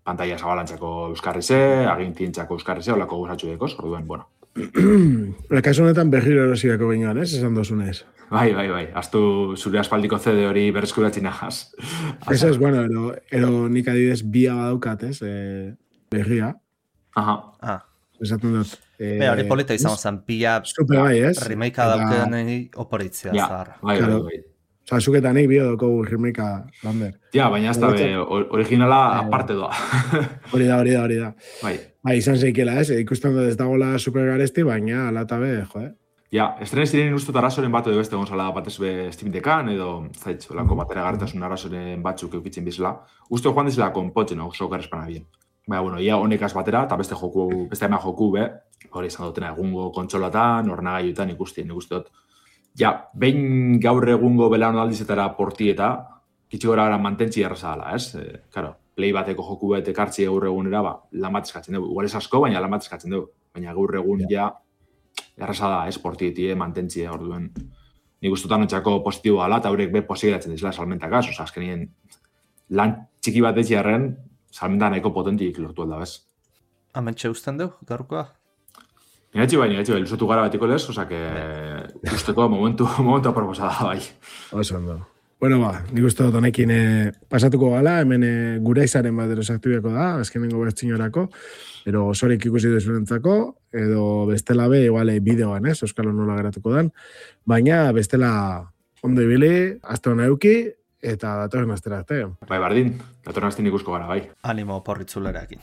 Pantalla zabalantzako euskarrize, agintientzako euskarrize, olako guzatxu dekoz, orduen, bueno. Kasu honetan berriro erosiako bingoan, ez? Esan dozunez. Bai. Aztu zure aspaldiko CD hori berreskuratzen ahaz. Ez, bueno, ero nik adidez bia badaukat, ez? Berria. Aha. Esaten dut. Hori polita izan zen, pia remake dauken oporitzea zahar. Bai. Osa, zuketanik bio doko remake lander. Ja, baina ez da originala aparte doa. Hori da. Bai, izan zeikela, ez? Ikusten dut ez dagoela supergaresti, baina alata be, jo, Ja, estrenez ziren ustut arazoren bat edo beste gonzala batez be Steam-dekan edo zaitz, lako batera gartasun arazoren batzuk eukitzen bizela. Uste joan dizela konpotzen, oso garrespana bien. Baina, bueno, ia honekaz batera, eta beste ema joku hori izan dutena egungo kontsolatan, ornagaiutan ikusten, dut. Ja, behin gaur egungo belaunaldizetara portieta, kitxi gora gara mantentzi erraza dela, ez? Karo, play bateko joku bat ekartzi gaur egunera, lan bat eskatzen dugu. Igual ez asko, baina lan bat eskatzen dugu. Baina gaur egun ja, erraza da, ez? Portietie, mantentzi, orduen. Nik ustutan ontsako positibo ala, eta horrek be posigatzen dizela salmentakaz, oza, azkenien lan txiki bat etxiarren, salmenta nahiko potentik lortu alda, bez? Amentxe usten dugu, gaurkoa? Nigatxe bai, ilusatu gara batiko lez, oza, que usteko momentu aproposada, bai. Oso ondo. Bueno, nik uste dut honekin pasatuko gala, hemen gure izaren bat erosaktibiako da, azkenengo bertzinorako, ero osorik ikusi duzunentzako, edo bestela be, igual, bideoan, ez, Euskalo nola geratuko dan, baina bestela ondo ibili, azte hona euki, eta datorren astera arte. Bai, bardin, datorren astean ikusko gara, bai. Animo porritzulerakin.